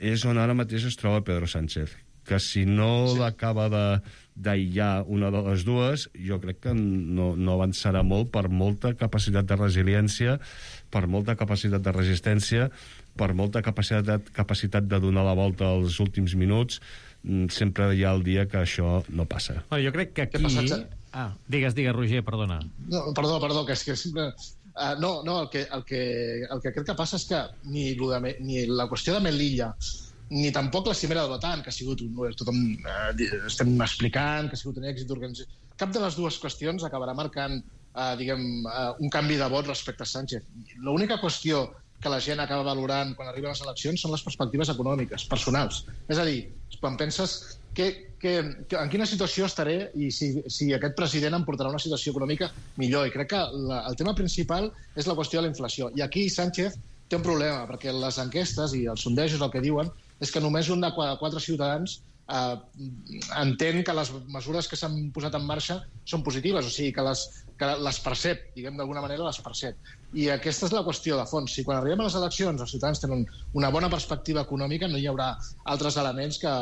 és on ara mateix es troba Pedro Sánchez, que si no l'acaba d'aïllar una de les dues, jo crec que no avançarà molt, per molta capacitat de resiliència, per molta capacitat de resistència, per molta capacitat de donar la volta als últims minuts. Sempre hi ha el dia que això no passa. Jo crec que aquí... Digues, Roger, perdona. No, perdó, que és que sempre... el que crec que passa és que ni la qüestió de Melilla ni tampoc la cimera de l'OTAN, que ha sigut tothom estem explicant, que ha sigut un èxit d'organització. Cap de les dues qüestions acabarà marcant un canvi de vot respecte a Sánchez. L'única qüestió que la gent acaba valorant quan arriben les eleccions són les perspectives econòmiques, personals. És a dir, quan penses en quina situació estaré i si aquest president em portarà una situació econòmica millor. I crec que el tema principal és la qüestió de la inflació. I aquí Sánchez té un problema, perquè les enquestes i els sondejos el que diuen és que només un de 4 ciutadans entén que les mesures que s'han posat en marxa són positives, o sigui, que les percep, diguem d'alguna manera les percep. I aquesta és la qüestió de fons. Si quan arribem a les eleccions els ciutadans tenen una bona perspectiva econòmica, no hi haurà altres elements que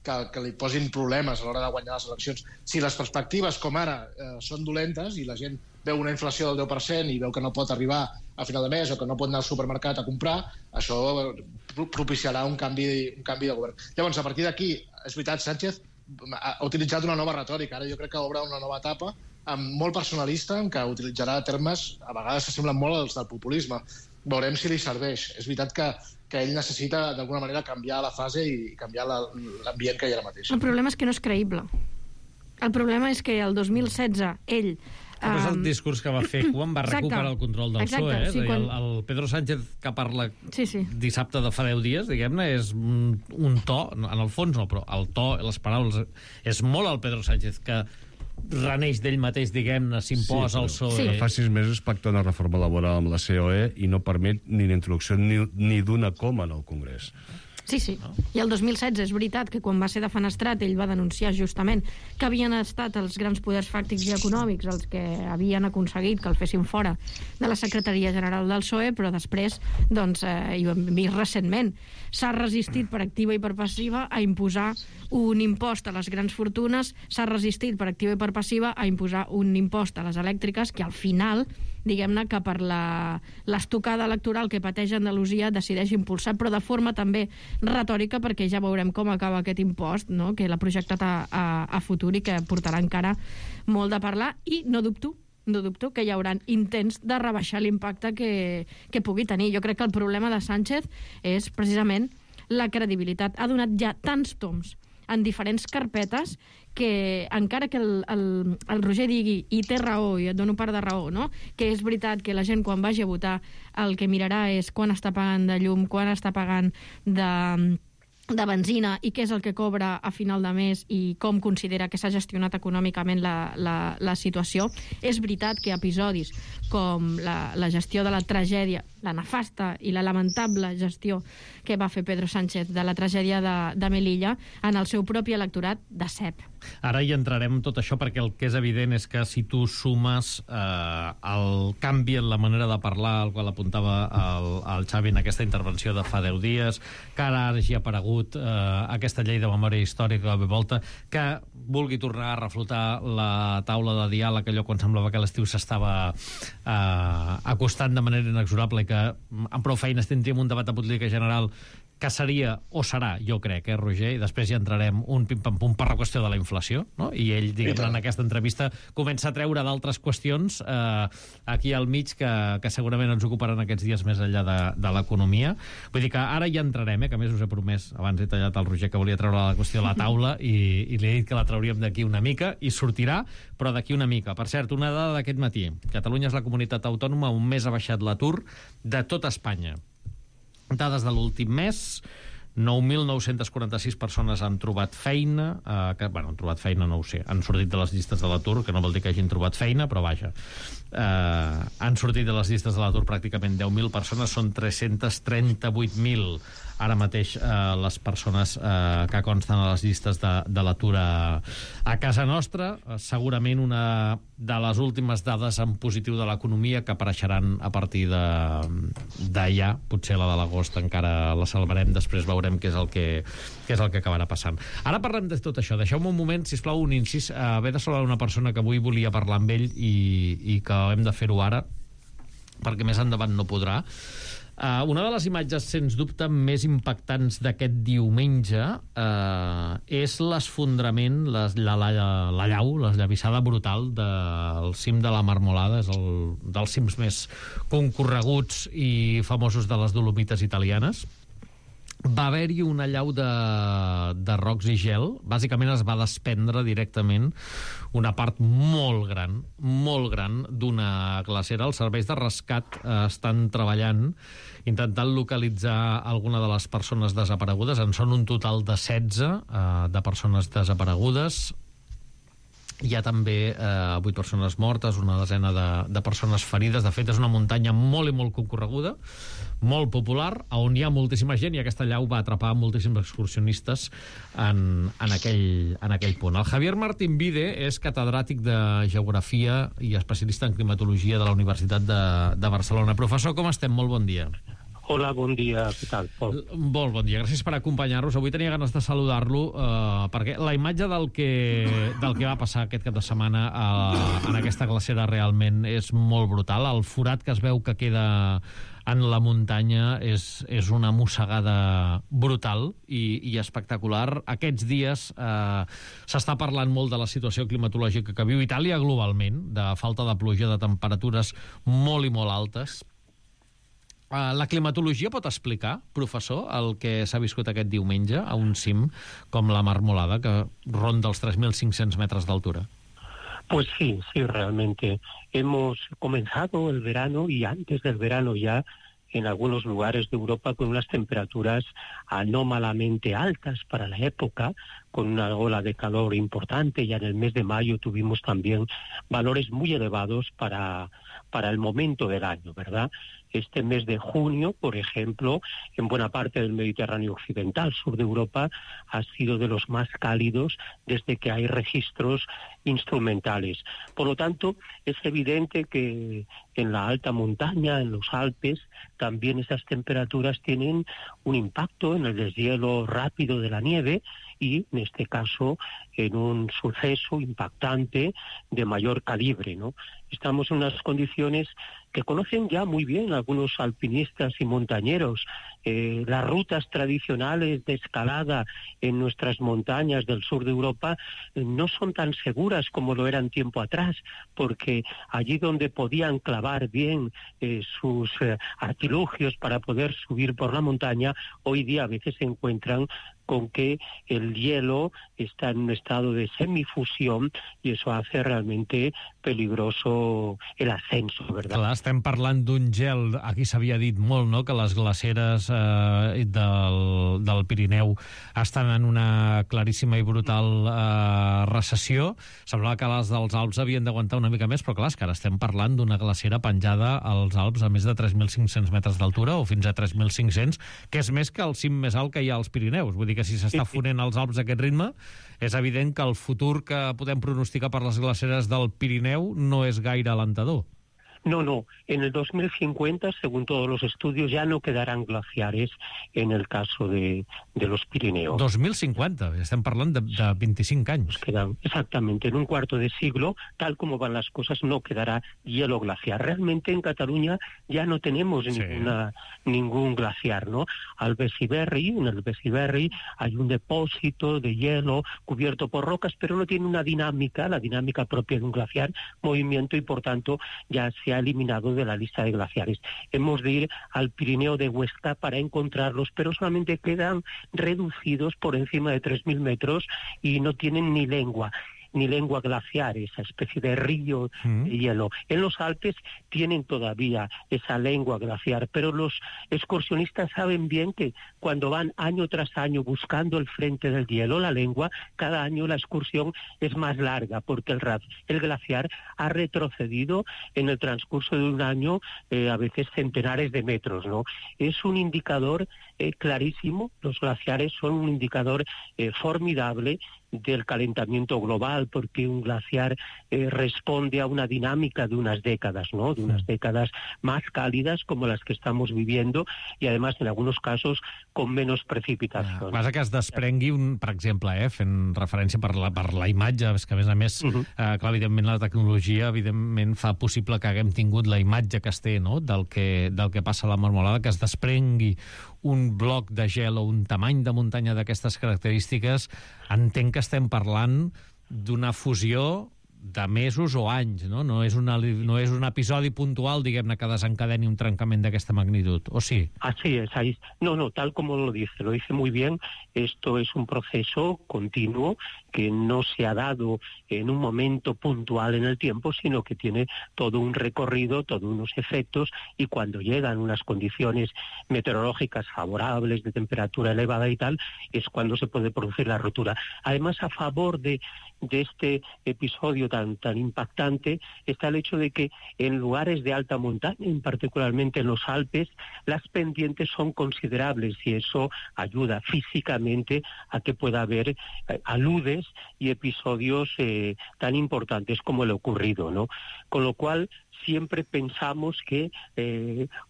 que li posin problemes a l'hora de guanyar les eleccions. Si les perspectives, com ara, són dolentes i la gent veu una inflació del 10% i veu que no pot arribar a final de mes o que no pot anar al supermercat a comprar, això propiciarà un canvi de govern. Llavors, a partir d'aquí, és veritat, Sánchez ha utilitzat una nova retòrica. Ara jo crec que obre una nova etapa molt personalista, en què utilitzarà termes a vegades que semblen molt als del populisme. Veurem si li serveix. És veritat que ell necessita d'alguna manera canviar la fase i canviar l'ambient que hi ha ara mateix. El problema és que no és creïble. El problema és que el 2016 ell... Però és el discurs que va fer quan va recuperar el control del PSOE. Sí, el Pedro Sánchez que parla dissabte de fa 10 dies, diguem-ne, és un to, en el fons no, però el to, les paraules, és molt el Pedro Sánchez que reneix d'ell mateix, diguem-ne, s'imposa al PSOE. Fa 6 mesos pacta una reforma laboral amb la COE i no permet ni la introducció ni d'una coma en el Congrés. Sí. I el 2016 és veritat que quan va ser defenestrat ell va denunciar justament que havien estat els grans poders fàctics i econòmics els que havien aconseguit que el fessin fora de la Secretaria General del PSOE, però després, doncs, i ho hem vist recentment, s'ha resistit per activa i per passiva a imposar un impost a les grans fortunes, s'ha resistit per activa i per passiva a imposar un impost a les elèctriques que al final, diguem-ne, que per l'estocada electoral que pateix Andalusia decideix impulsar, però de forma també retòrica, perquè ja veurem com acaba aquest impost, no?, que l'ha projectat a futur i que portarà encara molt de parlar, i no dubto que hi haurà intents de rebaixar l'impacte que pugui tenir. Jo crec que el problema de Sánchez és precisament la credibilitat. Ha donat ja tants toms en diferents carpetes que encara que el Roger digui, i té raó, i et dono part de raó, no?, que és veritat que la gent quan vagi a votar el que mirarà és quan està pagant de llum, quan està pagant de benzina i què és el que cobra a final de mes i com considera que s'ha gestionat econòmicament la situació. És veritat que episodis com la gestió de la tragèdia, la nefasta i la lamentable gestió que va fer Pedro Sánchez de la tragèdia de Melilla en el seu propi electorat decep. Ara hi entrarem tot això perquè el que és evident és que si tu sumes el canvi en la manera de parlar, el qual apuntava el Xavi en aquesta intervenció de fa 10 dies, que ara hagi aparegut aquesta llei de memòria històrica de volta, que vulgui tornar a reflotar la taula de diàleg, allò quan semblava que l'estiu s'estava acostant de manera inexorable i que amb prou feines tindríem un debat de política general que seria, o serà, jo crec, Roger? I després ja entrarem un pim-pam-pum per la qüestió de la inflació, no? I ell, diguem-ne, en aquesta entrevista comença a treure d'altres qüestions aquí al mig que segurament ens ocuparan aquests dies més enllà de l'economia. Vull dir que ara ja entrarem, que a més us he promès, abans he tallat el Roger que volia treure la qüestió de la taula i li he dit que la trauríem d'aquí una mica i sortirà, però d'aquí una mica. Per cert, una dada d'aquest matí. Catalunya és la comunitat autònoma on més ha baixat l'atur de tot Espanya. Dades de l'últim mes, 9.946 persones han trobat feina, han trobat feina, no ho sé, han sortit de les llistes de l'atur, que no vol dir que hagin trobat feina, però vaja, han sortit de les llistes de l'atur pràcticament 10.000 persones, són 338.000 ara mateix les persones que consten a les llistes de l'atur a casa nostra. Segurament una de les últimes dades en positiu de l'economia que apareixeran a partir d'allà, potser la de l'agost encara la salvarem, després veurem què és el que acabarà passant. Ara parlem de tot això. Deixeu-me un moment, sisplau, un incís. Haver de saludar una persona que avui volia parlar amb ell i que hem de fer-ho ara perquè més endavant no podrà. Una de les imatges, sens dubte, més impactants d'aquest diumenge és l'esfondrament, l'esllavissada brutal del cim de la Marmolada, és dels cims més concorreguts i famosos de les Dolomites italianes. Va haver-hi una allau de rocs i gel. Bàsicament es va desprendre directament una part molt gran d'una glacera. Els serveis de rescat estan treballant, intentant localitzar alguna de les persones desaparegudes. En són un total de 16 de persones desaparegudes. Hi ha també 8 persones mortes, una desena de persones ferides. De fet, és una muntanya molt i molt concorreguda, molt popular, on hi ha moltíssima gent, i aquesta allau va atrapar moltíssims excursionistes en aquell punt. El Javier Martín Vide és catedràtic de Geografia i especialista en climatologia de la Universitat de Barcelona. Professor, com estem? Molt bon dia. Hola, bon dia, què tal, Pol? Molt bon dia, gràcies per acompanyar-nos. Avui tenia ganes de saludar-lo perquè la imatge del que va passar aquest cap de setmana en aquesta glacera realment és molt brutal. El forat que es veu que queda en la muntanya és una mossegada brutal i espectacular. Aquests dies s'està parlant molt de la situació climatològica que viu Itàlia globalment, de falta de pluja, de temperatures molt i molt altes. La climatologia pot explicar, professor, el que s'ha viscut aquest diumenge a un cim com la Marmolada, que ronda els 3.500 metros de altura? Pues sí, realmente. Hemos comenzado el verano y antes del verano ya en algunos lugares de Europa con unas temperaturas anómalamente altas para la época, con una ola de calor importante. Ya en el mes de mayo tuvimos también valores muy elevados para el momento del año, ¿verdad? Este mes de junio, por ejemplo, en buena parte del Mediterráneo occidental, sur de Europa, ha sido de los más cálidos desde que hay registros instrumentales. Por lo tanto, es evidente que en la alta montaña, en los Alpes, también esas temperaturas tienen un impacto en el deshielo rápido de la nieve y, en este caso, en un suceso impactante de mayor calibre, ¿no? Estamos en unas condiciones que conocen ya muy bien algunos alpinistas y montañeros. Las rutas tradicionales de escalada en nuestras montañas del sur de Europa no son tan seguras como lo eran tiempo atrás, porque allí donde podían clavar bien sus artilugios para poder subir por la montaña, hoy día a veces se encuentran con que el hielo está en un estado de semifusión i això hace realmente peligroso el ascenso, ¿verdad? Clar, estem parlant d'un gel, aquí s'havia dit molt, no?, que les glaceres del Pirineu estan en una claríssima i brutal recessió. Semblava que les dels Alps havien d'aguantar una mica més, però clar, és que ara estem parlant d'una glacera penjada als Alps a més de 3.500 metres d'altura, o fins a 3.500, que és més que el cim més alt que hi ha als Pirineus. Vull dir que si s'està fonent als Alps a aquest ritme, és evident que el futur que podem pronosticar per les glaceres del Pirineu no és gaire alentador. No. En el 2050, según todos los estudios, ya no quedarán glaciares en el caso de los Pirineos. 2050, estem parlant de 25 anys. Quedan, exactamente, en un cuarto de siglo, tal como van las cosas, no quedará hielo glaciar. Realmente en Cataluña ya no tenemos ningún glaciar, ¿no? En el Besiberri hay un depósito de hielo cubierto por rocas, pero no tiene una dinámica, la dinámica propia de un glaciar, movimiento, y por tanto ya se ha eliminado de la lista de glaciares. Hemos de ir al Pirineo de Huesca para encontrarlos, pero solamente quedan reducidos por encima de 3.000 metros y no tienen ni lengua glaciar, esa especie de río de hielo. En los Alpes tienen todavía esa lengua glaciar, pero los excursionistas saben bien que cuando van año tras año buscando el frente del hielo, la lengua, cada año la excursión es más larga, porque el glaciar ha retrocedido en el transcurso de un año a veces centenares de metros, ¿no? Es un indicador clarísimo, los glaciares son un indicador formidable del calentamiento global, porque un glaciar responde a una dinámica de unas décadas, ¿no?, de unas décadas más cálidas como las que estamos viviendo, i además en algunos casos con menos precipitació. Passa que es desprengui, per exemple, fent referència per la imatge, és que a més, clar, evidentment la tecnologia evidentment fa possible que haguem tingut la imatge que es té, no?, del que passa a la Marmolada, que es desprengui un bloc de gel o un tamany de muntanya d'aquestes característiques. Entenc que estem parlant d'una fusió de mesos o anys, no? No és un episodi puntual, diguem-ne, que desencadeni un trencament d'aquesta magnitud, ¿o sí? Así es. No, tal como lo dice muy bien. Esto es un proceso continuo que no se ha dado en un momento puntual en el tiempo, sino que tiene todo un recorrido, todos unos efectos, y cuando llegan unas condiciones meteorológicas favorables, de temperatura elevada y tal, es cuando se puede producir la rotura. Además, a favor de este episodio tan impactante está el hecho de que en lugares de alta montaña, particularmente en los Alpes, las pendientes son considerables, y eso ayuda físicamente a que pueda haber aludes y episodios tan importantes como el ocurrido, ¿no? Con lo cual, siempre pensamos que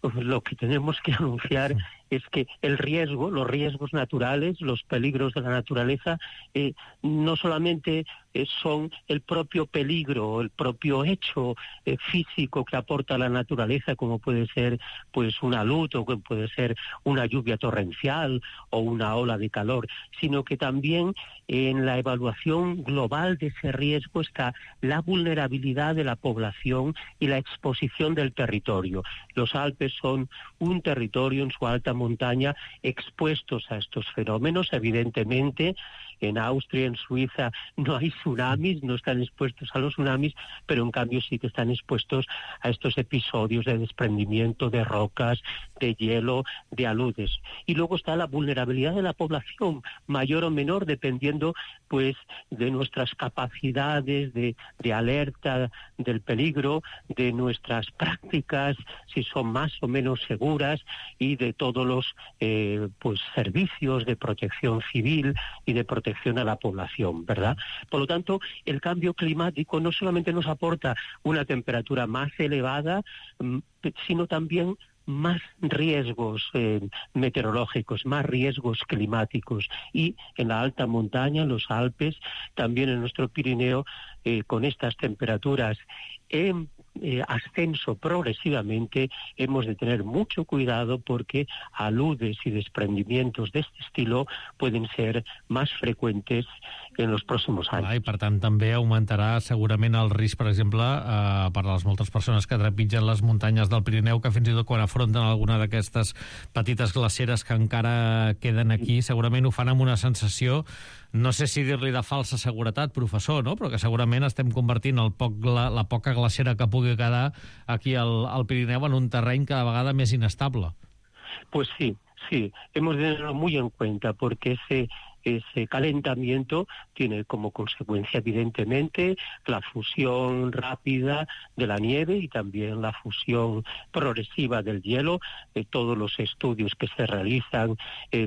lo que tenemos que anunciar es que el riesgo, los riesgos naturales, los peligros de la naturaleza, no solamente son el propio peligro, el propio hecho físico que aporta la naturaleza, como puede ser pues una luz o que puede ser una lluvia torrencial o una ola de calor, sino que también en la evaluación global de ese riesgo está la vulnerabilidad de la población y la exposición del territorio. Los Alpes son un territorio en su alta montaña expuestos a estos fenómenos. Evidentemente, en Austria, en Suiza, no hay tsunamis, no están expuestos a los tsunamis, pero en cambio sí que están expuestos a estos episodios de desprendimiento de rocas, de hielo, de aludes. Y luego está la vulnerabilidad de la población, mayor o menor, dependiendo pues de nuestras capacidades de alerta del peligro, de nuestras prácticas, si son más o menos seguras, y de todos los pues servicios de protección civil y de protección a la población, ¿verdad? Por lo tanto, el cambio climático no solamente nos aporta una temperatura más elevada, sino también más riesgos meteorológicos, más riesgos climáticos. Y en la alta montaña, en los Alpes, también en nuestro Pirineo, con estas temperaturas en ascenso progresivamente, hemos de tener mucho cuidado porque aludes y desprendimientos de este estilo pueden ser más frecuentes en los próximos anys. I per tant també augmentarà segurament el risc, per exemple, per a les moltes persones que trepitgen les muntanyes del Pirineu, que fins i tot quan afronten alguna d'aquestes petites glaceres que encara queden aquí, segurament ho fan amb una sensació, no sé si dir-li de falsa seguretat, professor, no? Però que segurament estem convertint la poca glacera que pugui quedar aquí al Pirineu en un terreny cada vegada més inestable. Pues sí, hemos de tenerlo muy en cuenta porque ese calentamiento tiene como consecuencia evidentemente la fusión rápida de la nieve y también la fusión progresiva del hielo. Todos los estudios que se realizan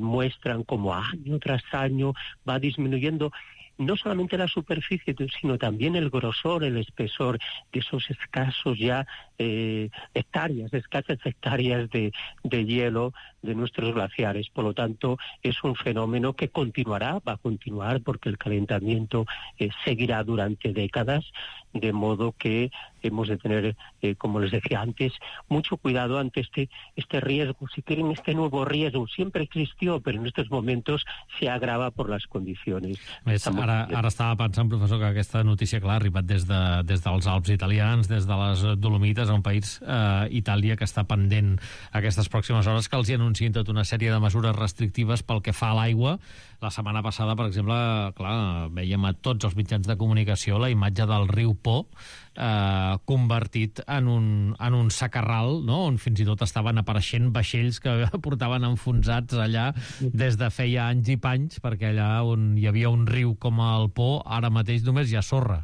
muestran cómo año tras año va disminuyendo no solamente la superficie, sino también el grosor, el espesor de esos escasos ya escasas hectáreas de hielo de nuestros glaciares. Por lo tanto, es un fenómeno que continuará, va a continuar porque el calentamiento seguirá durante décadas, de modo que hemos de tener, como les decía antes, mucho cuidado ante este riesgo. Si quieren, este nuevo riesgo siempre existió, pero en estos momentos se agrava por las condiciones. Ara estava pensant, professor, que aquesta notícia, clar, ha arribat des dels Alps italians, des de les Dolomites, un país, Itàlia, que està pendent aquestes pròximes hores, que els hi anunciïn tota una sèrie de mesures restrictives pel que fa a l'aigua. La setmana passada, per exemple, clar, veiem a tots els mitjans de comunicació la imatge del riu Po convertit en un sacarral, no? On fins i tot estaven apareixent vaixells que portaven enfonsats allà des de feia anys i panys, perquè allà on hi havia un riu com el Po, ara mateix només hi ha sorra.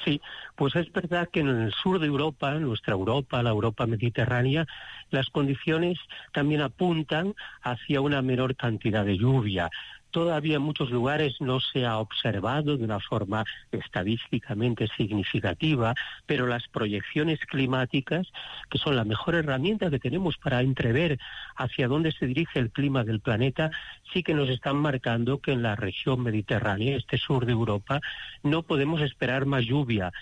Sí, pues es verdad que en el sur de Europa, nuestra Europa, la Europa mediterránea, las condiciones también apuntan hacia una menor cantidad de lluvia. Todavía en muchos lugares no se ha observado de una forma estadísticamente significativa, pero las proyecciones climáticas, que son la mejor herramienta que tenemos para entrever hacia dónde se dirige el clima del planeta, sí que nos están marcando que en la región mediterránea, este sur de Europa, no podemos esperar más lluvia.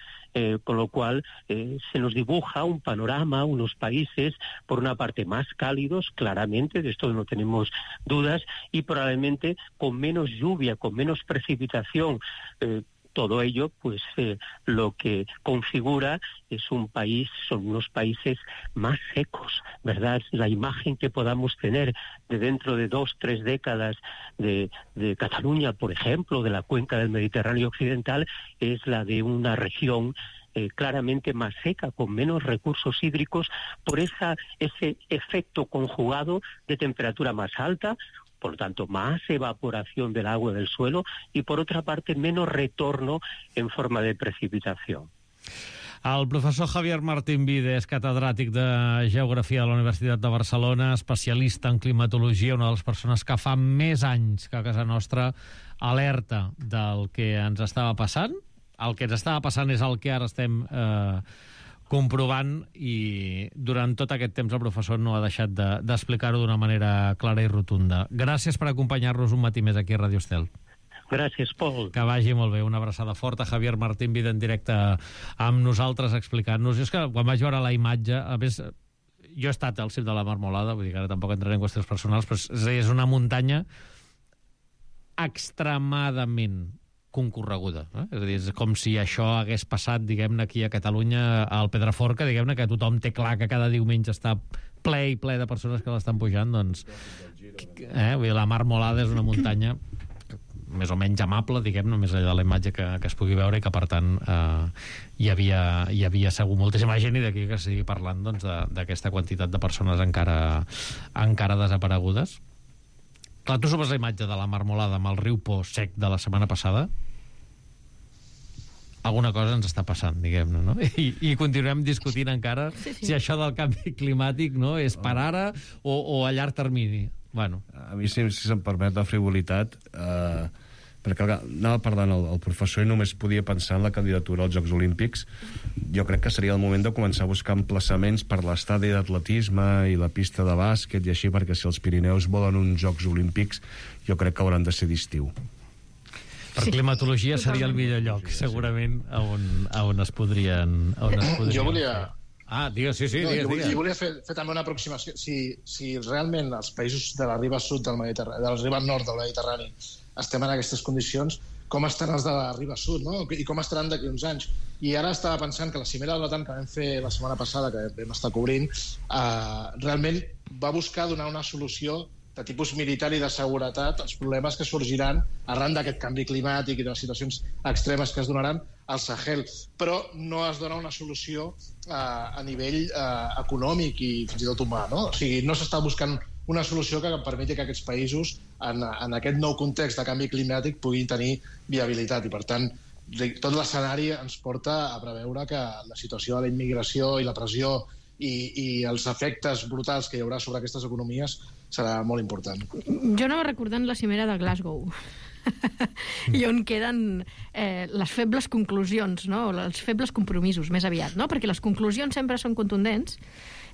Con lo cual se nos dibuja un panorama, unos países, por una parte más cálidos, claramente, de esto no tenemos dudas, y probablemente con menos lluvia, con menos precipitación. Todo ello, pues lo que configura es un país, son unos países más secos, ¿verdad? La imagen que podamos tener de dentro de 2-3 décadas de Cataluña, por ejemplo, de la cuenca del Mediterráneo occidental, es la de una región claramente más seca, con menos recursos hídricos, por ese efecto conjugado de temperatura más alta, por lo tanto, más evaporación del agua del suelo y, por otra parte, menos retorno en forma de precipitació. El professor Javier Martín Vide és catedràtic de Geografia de la Universitat de Barcelona, especialista en climatologia, una de les persones que fa més anys que a casa nostra alerta del que ens estava passant. El que ens estava passant és el que ara estem comprovant, i durant tot aquest temps el professor no ha deixat d'explicar-ho d'una manera clara i rotunda. Gràcies per acompanyar-nos un matí més aquí a Radio Estel. Gràcies, Pol. Que vagi molt bé. Una abraçada forta. Javier Martín Vida en directe amb nosaltres explicant-nos. És que quan vaig veure la imatge, a més, jo he estat al cim de la Marmolada, vull dir que ara tampoc entraré en qüestions personals, però és una muntanya extremadament concorreguda. És a dir, és com si això hagués passat, diguem-ne, aquí a Catalunya, al Pedraforca, diguem-ne, que tothom té clar que cada diumenge està ple i ple de persones que l'estan pujant, doncs... Vull dir, la Marmolada és una muntanya més o menys amable, diguem-ne, més enllà de la imatge que es pugui veure, i que, per tant, hi havia segur moltíssima gent, i d'aquí que estigui parlant d'aquesta quantitat de persones encara desaparegudes. Clar, tu subes la imatge de la Marmolada amb el riu Po sec de la setmana passada, alguna cosa ens està passant, diguem-ne, no? I continuem discutint encara si això del canvi climàtic, no, és per ara o a llarg termini. Bueno. A mi, si se'm permet la frivolitat, perquè anava parlant el professor i només podia pensar en la candidatura als Jocs Olímpics. Jo crec que seria el moment de començar a buscar emplaçaments per l'estadi d'atletisme i la pista de bàsquet i així, perquè si els Pirineus volen uns Jocs Olímpics, jo crec que hauran de ser d'estiu. Per climatologia seria el millor lloc, segurament, on es podrien... Jo volia... digues, sí, digues. Jo volia fer també una aproximació. Si realment els països de la riba sud del Mediterrani, de la riba nord del Mediterrani, estem en aquestes condicions, com estan els de la riba sud, no? I com estaran d'aquí uns anys? I ara estava pensant que la cimera de l'OTAN que vam fer la setmana passada, que vam estar cobrint, realment va buscar donar una solució de tipus militar i de seguretat als problemes que sorgiran arran d'aquest canvi climàtic i de les situacions extremes que es donaran al Sahel. Però no es dona una solució a nivell econòmic i fins i tot humà, no? O sigui, no s'està buscant una solució que permeti que aquests països, en aquest nou context de canvi climàtic, puguin tenir viabilitat. I, per tant, tot l'escenari ens porta a preveure que la situació de la immigració i la pressió i els efectes brutals que hi haurà sobre aquestes economies serà molt important. Jo anava recordant la cimera de Glasgow i on queden les febles conclusions, no? Els febles compromisos, més aviat, no? Perquè les conclusions sempre són contundents,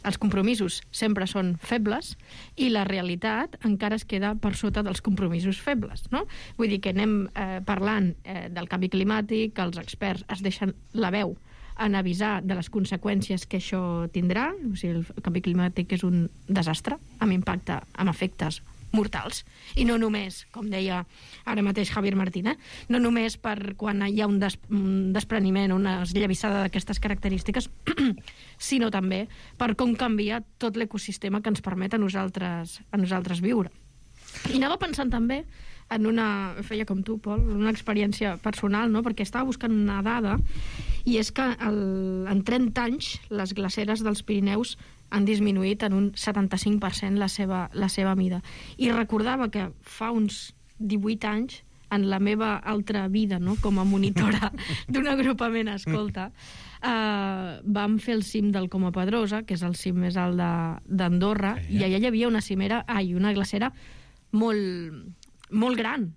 els compromisos sempre són febles i la realitat encara es queda per sota dels compromisos febles, no? Vull dir que anem parlant del canvi climàtic, que els experts es deixen la veu en avisar de les conseqüències que això tindrà. O sigui, el canvi climàtic és un desastre, amb impacte, amb efectes mortals. I no només, com deia ara mateix Javier Martín, no només per quan hi ha un despreniment o una esllavissada d'aquestes característiques, sinó també per com canvia tot l'ecosistema que ens permet a nosaltres viure. I anava pensant també en feia com tu, Pol, una experiència personal, no? Perquè estava buscant una dada, i és que en 30 anys les glaceres dels Pirineus han disminuït en un 75% la seva mida. I recordava que fa uns 18 anys, en la meva altra vida, no? Com a monitora d'un agrupament escolta, vam fer el cim del Coma Pedrosa, que és el cim més alt d'Andorra, i allà hi havia una glacera molt gran.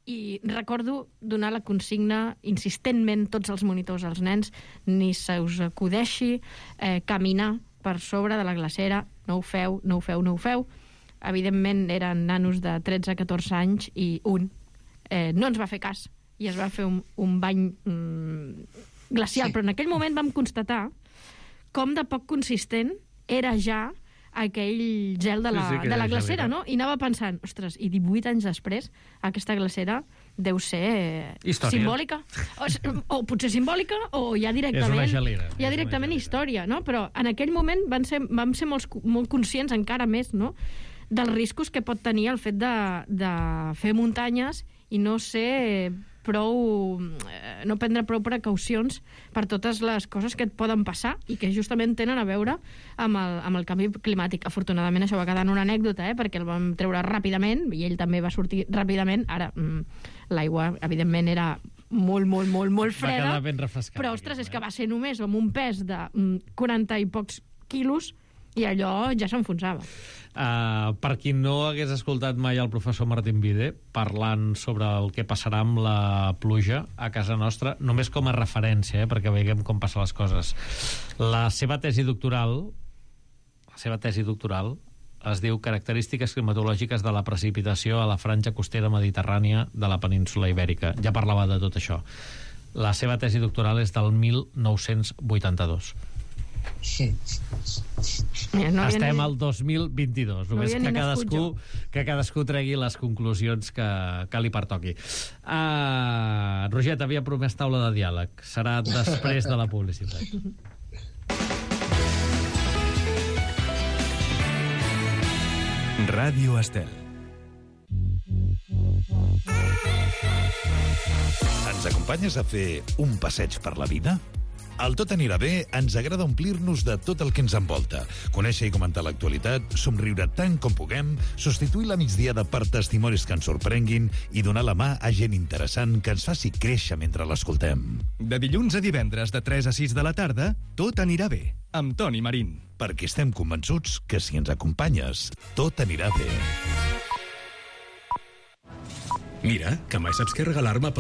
I recordo donar la consigna insistentment tots els monitors als nens: ni se us acudeixi caminar per sobre de la glacera, no ho feu, no ho feu, no ho feu. Evidentment eren nanos de 13-14 anys i un no ens va fer cas i es va fer un bany glacial, però en aquell moment vam constatar com de poc consistent era ja aquell gel de la glacera, no? I anava pensant, ostres, i 18 anys després aquesta glacera deu ser simbòlica. O potser simbòlica, o ja directament història, no? Però en aquell moment vam ser molt conscients encara més, no?, dels riscos que pot tenir el fet de fer muntanyes i no prendre prou precaucions per totes les coses que et poden passar i que justament tenen a veure amb el canvi climàtic. Afortunadament això va quedar en una anècdota, perquè el vam treure ràpidament i ell també va sortir ràpidament. Ara, l'aigua, evidentment, era molt freda. Va quedar ben refrescat. Però, ostres, és que va ser només amb un pes de 40 i pocs quilos I allò ja s'enfonsava. Per qui no hagués escoltat mai el professor Martín Vide parlant sobre el que passarà amb la pluja a casa nostra, només com a referència, perquè veiem com passen les coses. La seva tesi doctoral es diu Característiques climatològiques de la precipitació a la franja costera mediterrània de la península Ibèrica. Ja parlava de tot això. La seva tesi doctoral és del 1982. Sí. No estem al 2022, només que cadascú tregui les conclusions que li pertoqui. Roger, t'havia promès taula de diàleg. Serà després de la publicitat. Ràdio Estel. Ens acompanyes a fer un passeig per la vida? Al Tot anirà bé ens agrada omplir-nos de tot el que ens envolta, conèixer i comentar l'actualitat, somriure tant com puguem, substituir la migdiada per testimonis que ens sorprenguin i donar la mà a gent interessant que ens faci créixer mentre l'escoltem. De dilluns a divendres de 3 a 6 de la tarda, Tot anirà bé, amb Toni Marín. Perquè estem convençuts que si ens acompanyes, tot anirà bé. Mira, que mai saps què regalar-me pel